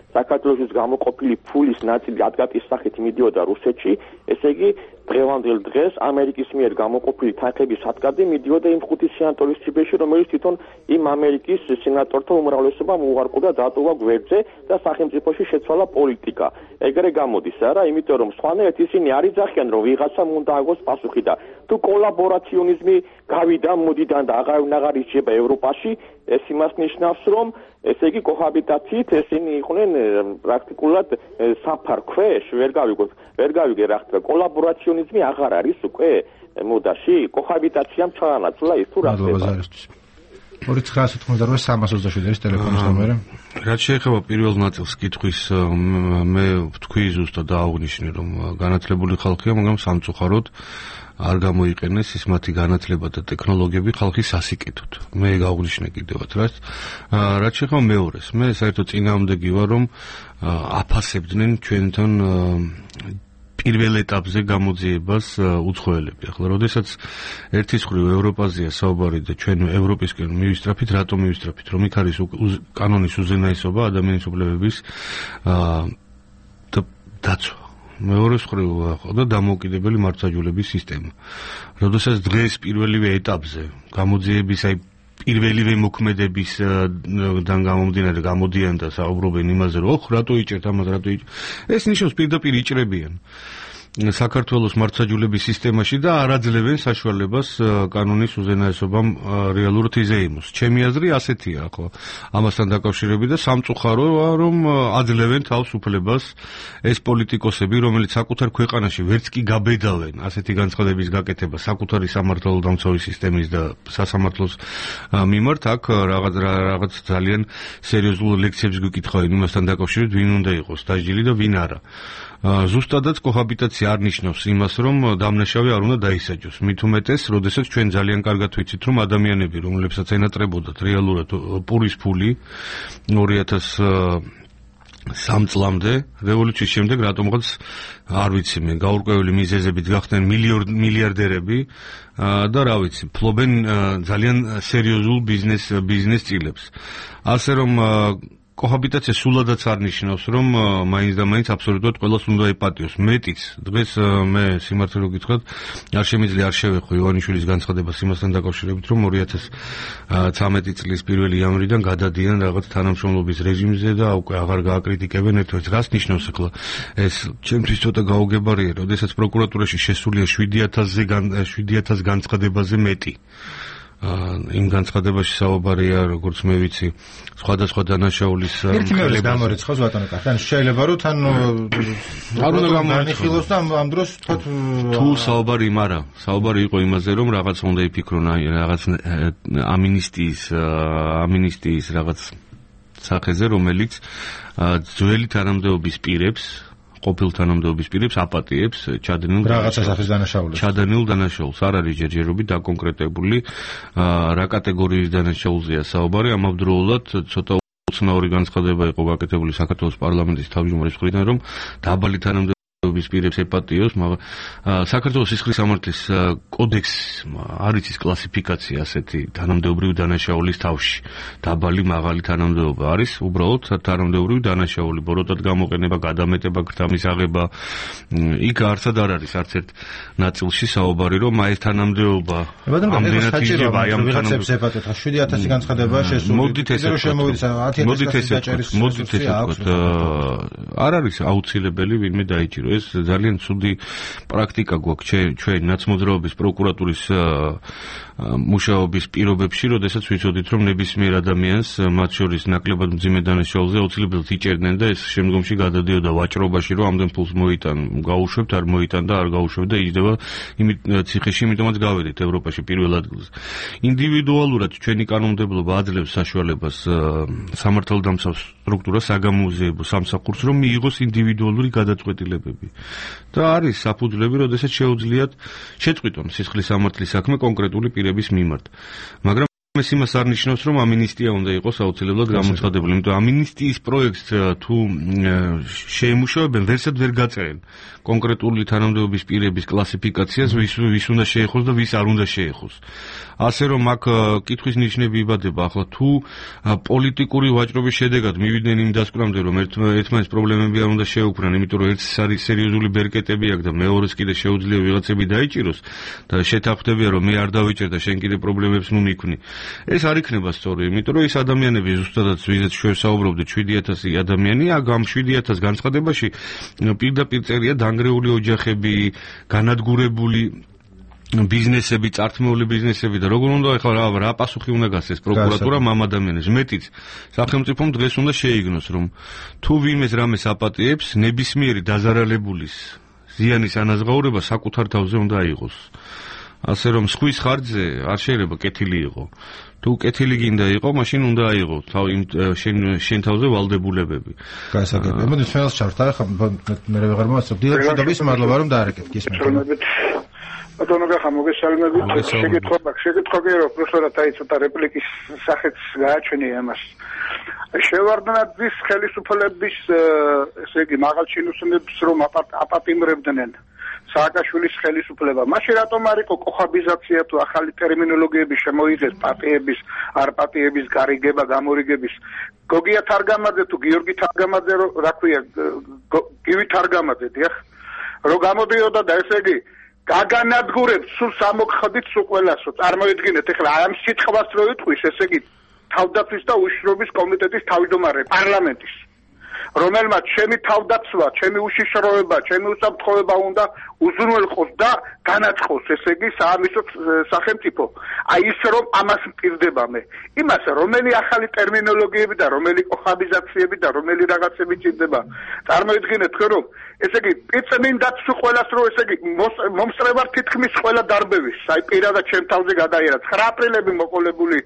საქართველოს გამოყოფილი ფულის ნაწილი ადგატის სახით მიდიოდა რუსეთში, ესე იგი დღევანდელ დღეს ამერიკის მიერ გამოყოფილი თანხების სადგადი მიდიოდა იმ 5 სენატორის ციფრში, რომელიც თვითონ იმ ამერიკის სენატორთა უმრავლესობამ უარყო და დატოვა გვერდზე და სახელმწიფოში შეცვალა პოლიტიკა. ეგრე გამოდის არა, იმიტომ რომ სხვანაირად ისინი არ იძახიან, რომ ვიღაცამ უნდა აგოს პასუხი და თუ კოლაბორაციონიზმი გავიდა მოდიდან და აღარ ისჯება ევროპაში, ეს იმას ნიშნავს, რომ ესე იგი კოჰაბიტაციით ესენი იყვნენ პრაქტიკულად საფარ ქვეშ, ვერ გავიგე რა ხდება. კოლაბორაციონიზმი აღარ არის უკვე მოდაში, კოჰაბიტაციამ ჩაანაცვლა ის თუ რა ხდება. 2988 ტელეფონის ნომერი. რაც შეეხება პირველ ნაწილს კითხვის, მე ვთქვი ზუსტად დააღვნიშნე, რომ განათლებული ხალხია, მაგრამ სამწუხაროდ არ გამოიყენეს ის მათი განათლება და ტექნოლოგიები ხალხის სასიკეთოდ. მე გავღვნიშნე კიდევაც რაც შეეხება მეორეს, მე საერთოდ წინააღმდეგი ვარ, რომ აფასებდნენ ჩვენთან პირველ ეტაპზე გამოძიებას უცხოელები. ახლა, როდესაც ერთის მხრივ ევროპაზეა საუბარი და ჩვენ ევროპისკენ მივისწრაფით, რატომ მივისწრაფით? რომ იქ არის კანონის უზენაესობა, ადამიანის უფლებების დაცვა. მეორეს მხრივ ხოდა დამოუკიდებელი მართლმსაჯულების სისტემა. როდესაც დღეს პირველივე ეტაპზე გამოძიების პირველივე მოქმედებისგან გამომდინარე გამოდიან და საუბრობენ იმაზე, რომ რატო იჭერთ ამას, რატო იჭერთ. ეს ნიშნავს პირდაპირ იჭრებიან საქართველოს მართლმსაჯულების სისტემაში და არ აძლევენ საშუალებას კანონის უზენაესობამ რეალურად იზეიმოს. ჩემი აზრი ასეთია, ხო, ამასთან დაკავშირებით და სამწუხაროა, რომ აძლევენ თავს უფლებას ეს პოლიტიკოსები, რომელიც საკუთარ ქვეყანაში ვერც კი გაბედავენ ასეთი განცხადების გაკეთება საკუთარი სამართალდამცავი სისტემის და სასამართლოს მიმართ, აქ რაღაც ძალიან სერიოზულ ლექციებს გიკითხავენ იმასთან დაკავშირებით, ვინ უნდა იყოს დასჯილი და ვინ არა. ზუსტადაც კოჰაბიტაცია არ ნიშნავს იმას, რომ დამნაშავე არ უნდა დაისაჯოს. მით უმეტეს, როდესაც ჩვენ ძალიან კარგად ვიცით, რომ ადამიანები, რომლებსაც ენატრებოდათ რეალურად პურის ფული 2003 წლამდე, რევოლუციის შემდეგ რატომღაც არ ვიცი მე, გაურკვეველი მიზეზებით გახდნენ მილიარდერები და რა ვიცი, ფლობენ ძალიან სერიოზულ ბიზნეს წილებს. ასე რომ კოჰაბიტაცია სულადაც არ ნიშნავს, რომ მაინც და მაინც აბსოლუტურად ყველას უნდა ეპატიოს. მეტიც, დღეს მე სიმართლე რომ გითხრათ, არ შემიძლია არ შევეხო ივანიშვილის განცხადებას იმასთან დაკავშირებით, რომ 2013 წლის 1 იანვრიდან გადადიან რაღაც თანამშრომლობის რეჟიმზე და უკვე აღარ გააკრიტიკებენ ერთ-ერთს. რას ნიშნავს ახლა? ეს ჩემთვის ცოტა გაუგებარია, როდესაც პროკურატურაში შესულია 7000 განცხადებაზე მეტი. იმ განცხადებაში საუბარია, როგორც მე ვიცი, სხვადასხვა დანაშაულის ერთი მეორის გამორიცხავს ბატონო კახი. ანუ შეიძლება რომ თან არ უნდა გამორიცხოს და ამ დროს თუ საუბარი არა, საუბარი იყო იმაზე, რომ რაღაც უნდა იფიქრონ, რაღაც ამინისტიის რაღაც სახეზე, რომელიც ძველი თანამდებობის პირებს ყოფილ თანამდებობის პირებს აპატიებს ჩადენილ დანაშაულს. არ არის ჯერჯერობით დაკონკრეტებული რა კატეგორიის დანაშაულზეა საუბარი. ამავდროულად ცოტა უცნაური განცხადება იყო გაკეთებული საქართველოს პარლამენტის თავმჯდომარის მხრიდან, რომ დაბალი თანამდებობის პირებს ეპატიოს, მაგრამ საქართველოს სისხლის სამართლის კოდექსს არის ის კლასიფიკაცია ასეთი თანამდებობრივი დანაშაულის თავში. დაბალი, მაღალი თანამდებობა არის უბრალოდ თანამდებობრივი დანაშაული, ბოროტად გამოყენება, გადამეტება, გრთამის აღება. იქ არცად არ არის არც ერთ ნაწილში საუბარი, რომ აი ეს თანამდებობა ამდენად იჭრება, აი ამ თანამდებობებს ეპატიოთ. 7000 განცხადებაა შესული. მოდით ესე ვთქვათ. არ არის აუცილებელი ვინმე დაიჭირო. ეს ძალიან ცუდი პრაქტიკა გვაქვს ჩვენ ნაცმოძრაობის პროკურატურის მუშაობის პირობებში, როდესაც ვიცოდით, რომ ნებისმიერ ადამიანს, მათ შორის ნაკლებად მძიმე დანაშაულზე აუცილებლად იჭერდნენ და ეს შემდგომში გადადიოდა ვაჭრობაში, რომ ამდენ ფულს მოიტან, გაუშვებთ, არ მოიტან და არ გაუშვებთ და იჯდება ციხეში, იმიტომაც გავედით ევროპაში პირველ ადგილზე. ინდივიდუალურად ჩვენი კანონმდებლობა აძლევს საშუალებას სამართალდამცავ სტრუქტურას, საგამოძიებო სამსახურს, რომ მიიღოს ინდივიდუალური გადაწყვეტილებები. და არის საფუძვლები, როდესაც შეუძლიათ შეწყვიტონ სისხლის სამართლის საქმე კონკრეტული პირების მიმართ. მაგრამ ეს იმას არ ნიშნავს, რომ ამინისტია უნდა იყოს აუცილებლად გამოცხადებული. იმიტომ ამინისტიის პროექტს თუ შეემუშავებენ, ვერსად ვერ გაწერენ კონკრეტული თანამდებობის პირების კლასიფიკაციას, ვის უნდა შეეხოს და ვის არ უნდა შეეხოს. ასე რომ აქ კითხვის ნიშნები იბადება. ახლა თუ პოლიტიკური ვაჭრობის შედეგად მივიდნენ იმ დასკვნამდე, რომ ერთმანეთს პრობლემები არ უნდა შეუქმნან, იმიტომ რომ ერთს არის სერიოზული ბერკეტები აქვს და მეორეს კიდე შეუძლია ვიღაცები დაიჭიროს და შეთანხმდებიან, რომ მე არ დავიჭერ და შენ კიდე პრობლემებს ნუ მიქმნი. ეს არ იქნება სწორი, იმიტომ რომ ეს ადამიანები ზუსტადაც ვიზეთ შევსაუბრობდით 7000 ადამიანი, ამ 7000 განცხადებაში პირდაპირ წერია დანგრეული ოჯახები, განადგურებული ბიზნესები, წართმეული ბიზნესები და როგორ უნდა ახლა რა პასუხი უნდა გასცეს პროკურატურამ ამ ადამიანებს. მეტიც სახელმწიფომ დღეს უნდა შეიგნოს, რომ თუ ვინმეს რამეს აპატიებს, ნებისმიერი დაზარალებულის ზიანის ანაზღაურება საკუთარ თავზე უნდა აიღოს. ასე რომ სხვის ხარჯზე არ შეიძლება კეთილი იყო. თუ კეთილი გინდა იყო, მაშინ უნდა აიღო შენ თავზე ვალდებულებები. გასაგებია. მოდი ხელს ჩავთარ, ახლა მე ვეღარ მოვასწრებ. დიდად შედობის მადლობა რომ დაარეკეთ გისმენთ. ბატონო გახა მოგესალმებით. შეკითხვა კი რომ პროფესორად აი ცოტა რეპლიკის სახეც გააჩვენე ამას. შევარდნაძის ხელისუფლების ესე იგი მაღალჩინოსნებს რომ აპატიმრებდნენ სააკაშვილის ხელისუფლება. მაშინ რატომ არ იყო კოხაბიზაცია თუ ახალი ტერმინოლოგიები შემოიღეს პატიების, არ პატიების გარიგება, გამორიგების. გოგია თარგამაძე თუ გიორგი თარგამაძე რა ქვია, გივი თარგამაძე დიახ. რო გამოდიოდა და ესე იგი გაგანადგურებს სულ სამოხდით სულ ყველასო. წარმოიდგინეთ ეხლა ამ სიტყვას რო იტყვის, ესე იგი თავდაცვის და უშიშროების კომიტეტის თავმჯდომარე პარლამენტის, რომელმაც ჩემი თავდაცვა, ჩემი უშიშროება, ჩემი უსაფრთხოება უნდა უზრუნველყოს და განაწყოს, ესე იგი საამისო სახელმწიფო. აი ის რომ ამას მპირდება მე. იმას რომელი ახალი ტერმინოლოგიები და რომელი კოხაბიზაციები და რომელი რაღაცები ჭირდება. წარმოიდგინეთ თქვენ რომ ესე იგი პიწმინდაც თუ ყველას რო ესე იგი მომსწრებარ თითქმის ყველა დარბევის. აი პირადად ჩემ თავზე გადაიერა 9 აპრილები მოყოლებული.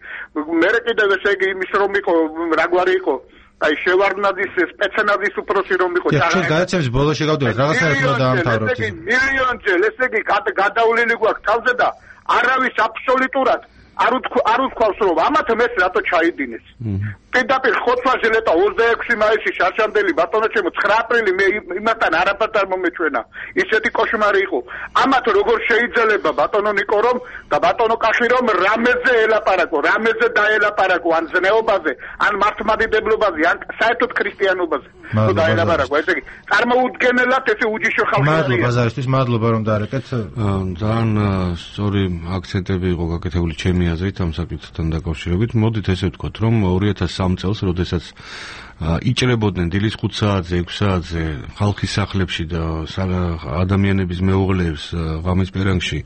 მე კიდევ ესე იგი იმის რომ იყო რაგვარი იყო აი შევარდნაძის სპეცენაძის უფროსი რომ იყო ჩვენ გადაცემის ბოლოში გავდივართ რაღაცნაირად უნდა დაამთავროთ. ესე იგი მილიონჯერ ესე იგი გადავლილი გვაქვს თავზე და არავის აბსოლუტურად არ უთქვავს რომ ამათ მეს რატო ჩაიდინეს. პირდაპირ ხოთვაზე ლეტა 26 მაისი შარშანდელი ბატონო ჩემო 9 აპრილი მე იმასთან არაფერს არ მომეჩვენა. ისეთი კოშმარი იყო. ამათ როგორ შეიძლება ბატონო ნიკო რომ და ბატონო კაში რომ რამეზე ელაპარაკო, რამეზე დაელაპარაკო, ან ზნეობაზე, ან მართლმადიდებლობაზე, ან საერთოდ ქრისტიანობაზე. თუ დაელაპარაკო, ესე იგი წარმოუდგენელად ესე უჯიშო ხალხი. მადლობა ბაზარისთვის, მადლობა რომ დაარეკეთ. ძალიან სწორი აქცენტები იყო გაკეთებული ჩემი აზრით ამ საკითხთან დაკავშირებით. მოდით ესე ვთქვათ, რომ 2003 წელს, როდესაც იჭრებოდნენ დილის 5 საათზე, 6 საათზე ხალხის სახლებში და ადამიანების მეუღლეებს ღამის პერანგში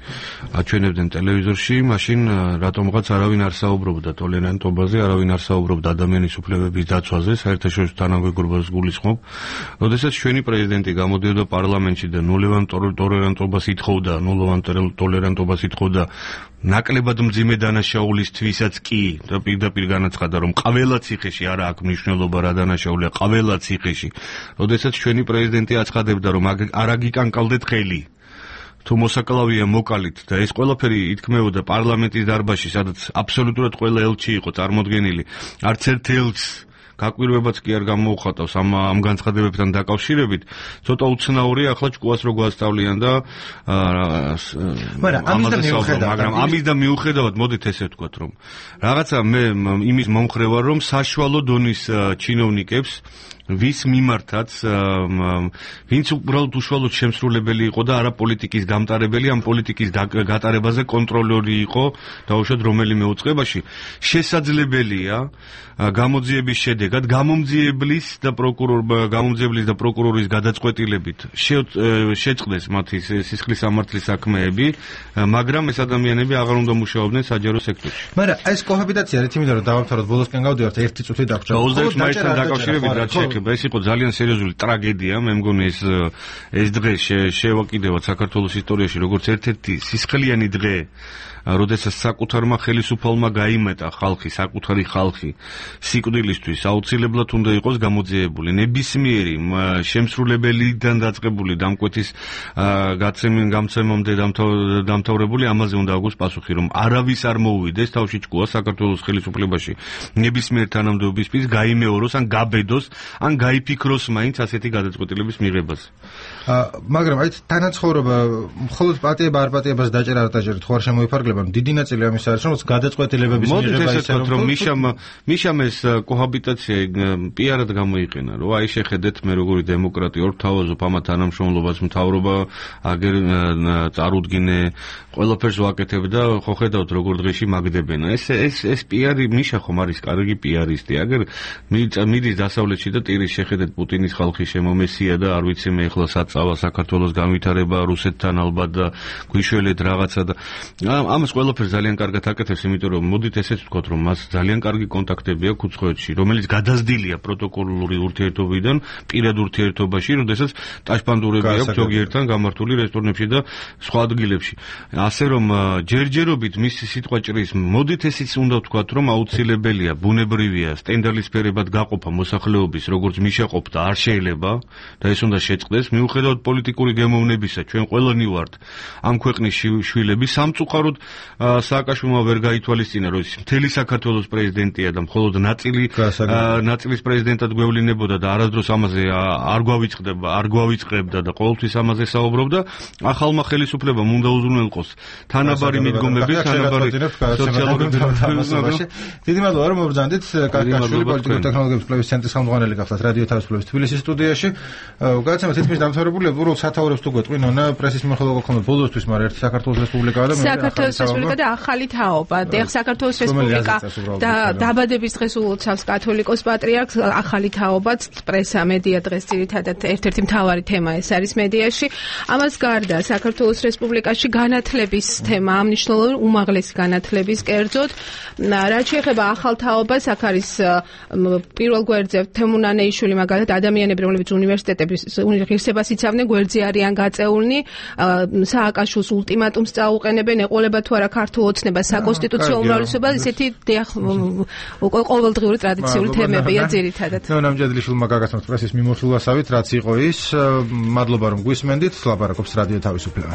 აჩვენებდნენ ტელევიზორში, მაშინ რატომღაც არავინ არ საუბრობდა ტოლერანტობაზე, არავინ არ საუბრობდა ადამიანის უფლებების დაცვაზე, საერთაშორისო თანამეგობრობას გულისხმობ. როდესაც ჩვენი პრეზიდენტი გამოდიოდა პარლამენტში და ნულოვან ტოლერანტობას ითხოვდა, ნაკლებად მძიმე დანაშაულისთვისაც კი და პირდაპირ განაცხადა, რომ ყველა ციხეში არა აქვს მნიშვნელობა რა დანაშაულია, ყველა ციხეში. როდესაც ჩვენი პრეზიდენტი აცხადებდა, რომ არ აგიკანკალდეთ ხელი, თუ მოსაკლავია მოკალით და ეს ყველაფერი ითქმეოდა პარლამენტის დარბაზში, სადაც აბსოლუტურად ყველა ელჩი იყო წარმოდგენილი, არც ერთ ელჩს გაკვირვებაც კი არ გამოუხატავს ამ განცხადებებთან დაკავშირებით. ცოტა უცნაურია ახლა ჭკუას რო გვასწავლიან და მაგრამ ამის და მიუხედავად მოდით ესე ვთქვათ, რომ რაღაცა მე იმის მომხრე ვარ, რომ საშუალო დონის ჩინოვნიკებს ვის მიმართაც ვინც უბრალოდ უშუალოდ შემსრულებელი იყო და არა პოლიტიკის გამტარებელი, ამ პოლიტიკის გატარებაზე კონტროლორი იყო დაუშვათ რომელიმე უწყებაში, შესაძლებელია გამოძიების შედეგად გამომძიებლის და პროკურორის გადაწყვეტილებით შეწყდეს მათი სისხლის სამართლის საქმეები, მაგრამ ეს ადამიანები აღარ უნდა მუშაობდნენ საჯარო სექტორში. მაგრამ ეს კოჰაბიტაცია რითი მინდა რომ დავამთავროთ, ბოლოსკენ გავდივართ 1 წუთი დაგჭირდა. 22 მაისთან დაკავშირებით რაც შეეხება, ეს იყო ძალიან სერიოზული ტრაგედია, მე მგონი ეს დღე შევაკიდევათ საქართველოს ისტორიაში როგორც ერთ-ერთი სისხლიანი დღე, როდესაც საკუთარმა ხელისუფალმა გაიმეტა ხალხი, საკუთარი ხალხი სიკვდილისთვის, აუცილებლად უნდა იყოს გამოძიებული. ნებისმიერი შემსრულებელიდან დაწყებული დამკვეთის გამცემამდე დამთავრებული ამაზე უნდა აგოს პასუხი, რომ არავის არ მოუვიდეს თავში ჭკუა საქართველოს ხელისუფლებაში ნებისმიერ თანამდებობისთვის, გაიმეოროს ან გაბედოს, ან გაიფიქროს მაინც ასეთი გადაწყვეტილების მიღებას. მაგრამ აი თანაცხოვრება მხოლოდ პატიება არ პატიებას დაჭერა არ დაჭერა თუ არ შემოიფარგლება, დიდი ნაწილი ამის არის, რომ გადაწყვეტილებების მიღება ისე რომ მიშამ ეს კოჰაბიტაცია პიარად გამოიყენა, რომ აი შეხედეთ მე როგორი დემოკრატია ორ თავაზობ ამათ თანამშრომლობას მთავრობა აგერ წარუდგინე ყველაფერს ვაკეთებ და ხო ხედავთ როგორ დღეში მაგდებენ. ეს პიარი მიშა ხომ არის კარგი პიარისტი. აგერ მიდის დასავლეთში და ტირის შეხედეთ პუტინის ხალხი შემომესია და არ ვიცი მე ახლა საწავა საქართველოს განვითარება რუსეთთან ალბათ და გვიშველეთ რაღაცა და ამას ყველაფერს ძალიან კარგად აკეთებს, იმიტომ რომ მოდით ესეც ვთქვათ, რომ მას ძალიან კარგი კონტაქტები აქვს უცხოეთში, რომელიც გადაზრდილია პროტოკოლური ურთიერთობიდან პირად ურთიერთობაში, როდესაც ტაშპანდურები აქვს ზოგიერთთან გამართული რესტორნებში და სხვა ადგილებში. ასე რომ ჯერჯერობით მისი სიტყვა ჭრის, მოდით ესეც უნდა ვთქვათ, რომ აუცილებელია, ბუნებრივია სტენდალისფერებად გაყოფა მოსახლეობის, როგორც მიშაყოფდა, არ შეიძლება და ეს უნდა შეწყდეს, მიუხედავად პოლიტიკური გემოვნებისა, ჩვენ ყველანი ვართ ამ ქვეყნის შვილები, სამწუხაროდ სააკაშვილმა ვერ გაითვალისწინა, რომ მთელი საქართველოს პრეზიდენტია და მხოლოდ ნაწილის პრეზიდენტად გვევლინებოდა და არასდროს ამაზე არ გვავიწყებდა და ყოველთვის ამაზე საუბრობდა. ახალმა ხელისუფლებამ უნდა უზრუნველყოს თანაბარი მიდგომები, თანაბარი სოციალური თამასობაში. დიდი მადლობა რომ მობრძანდით. კაკაშვილი პოლიტიკური ტექნოლოგიების კვლევის ცენტრის ხელმძღვანელი გახდათ რადიო თავისუფლების თბილისის სტუდიაში. გადაცემა თითქმის დამთავრებულია, უბრალოდ სათაურებს თუ გვეტყვინონა პრესის მიმოხილვა გქონდა ბოლოსთვის, მაგრამ ერთი საქართველოს რესპუბლიკაა და საქართველოს რესპუბლიკა და ახალი თაობა. და საქართველოს რესპუბლიკა და დაბადების დღეს ულოცავს კათოლიკოს პატრიარქს, ახალი თაობაც პრესა, მედია დღეს ძირითადად ერთ-ერთი მთავარი თემა ეს არის მედიაში. ამას გარდა საქართველოს რესპუბლიკაში განათლების თემა მნიშვნელოვანი, უმაღლესი განათლების კერძოდ. რაც შეეხება ახალ თაობას, აქ არის პირველ გვერდზე თემუნანეიშვილი, მაგალითად ადამიანები, რომლებიც უნივერსიტეტების ღირსებას იცავდნენ, გვერდზე არიან გაწეულნი, სააკაშვილს ულტიმატუმს წაუყენებენ, ეყოლება თუ არა ქართულ ოცნება, საკონსტიტუციო უმრავლესობა, ისეთი ყოველდღიური ტრადიციული თემებია ძირითადად. ნამჯადლიშვილმა გაგაცნოთ პრესის მიმოხილვასავით, რაც იყო ის. მადლობა რომ გვისმენდით, ლაპარაკობს რადიო თავისუფლება.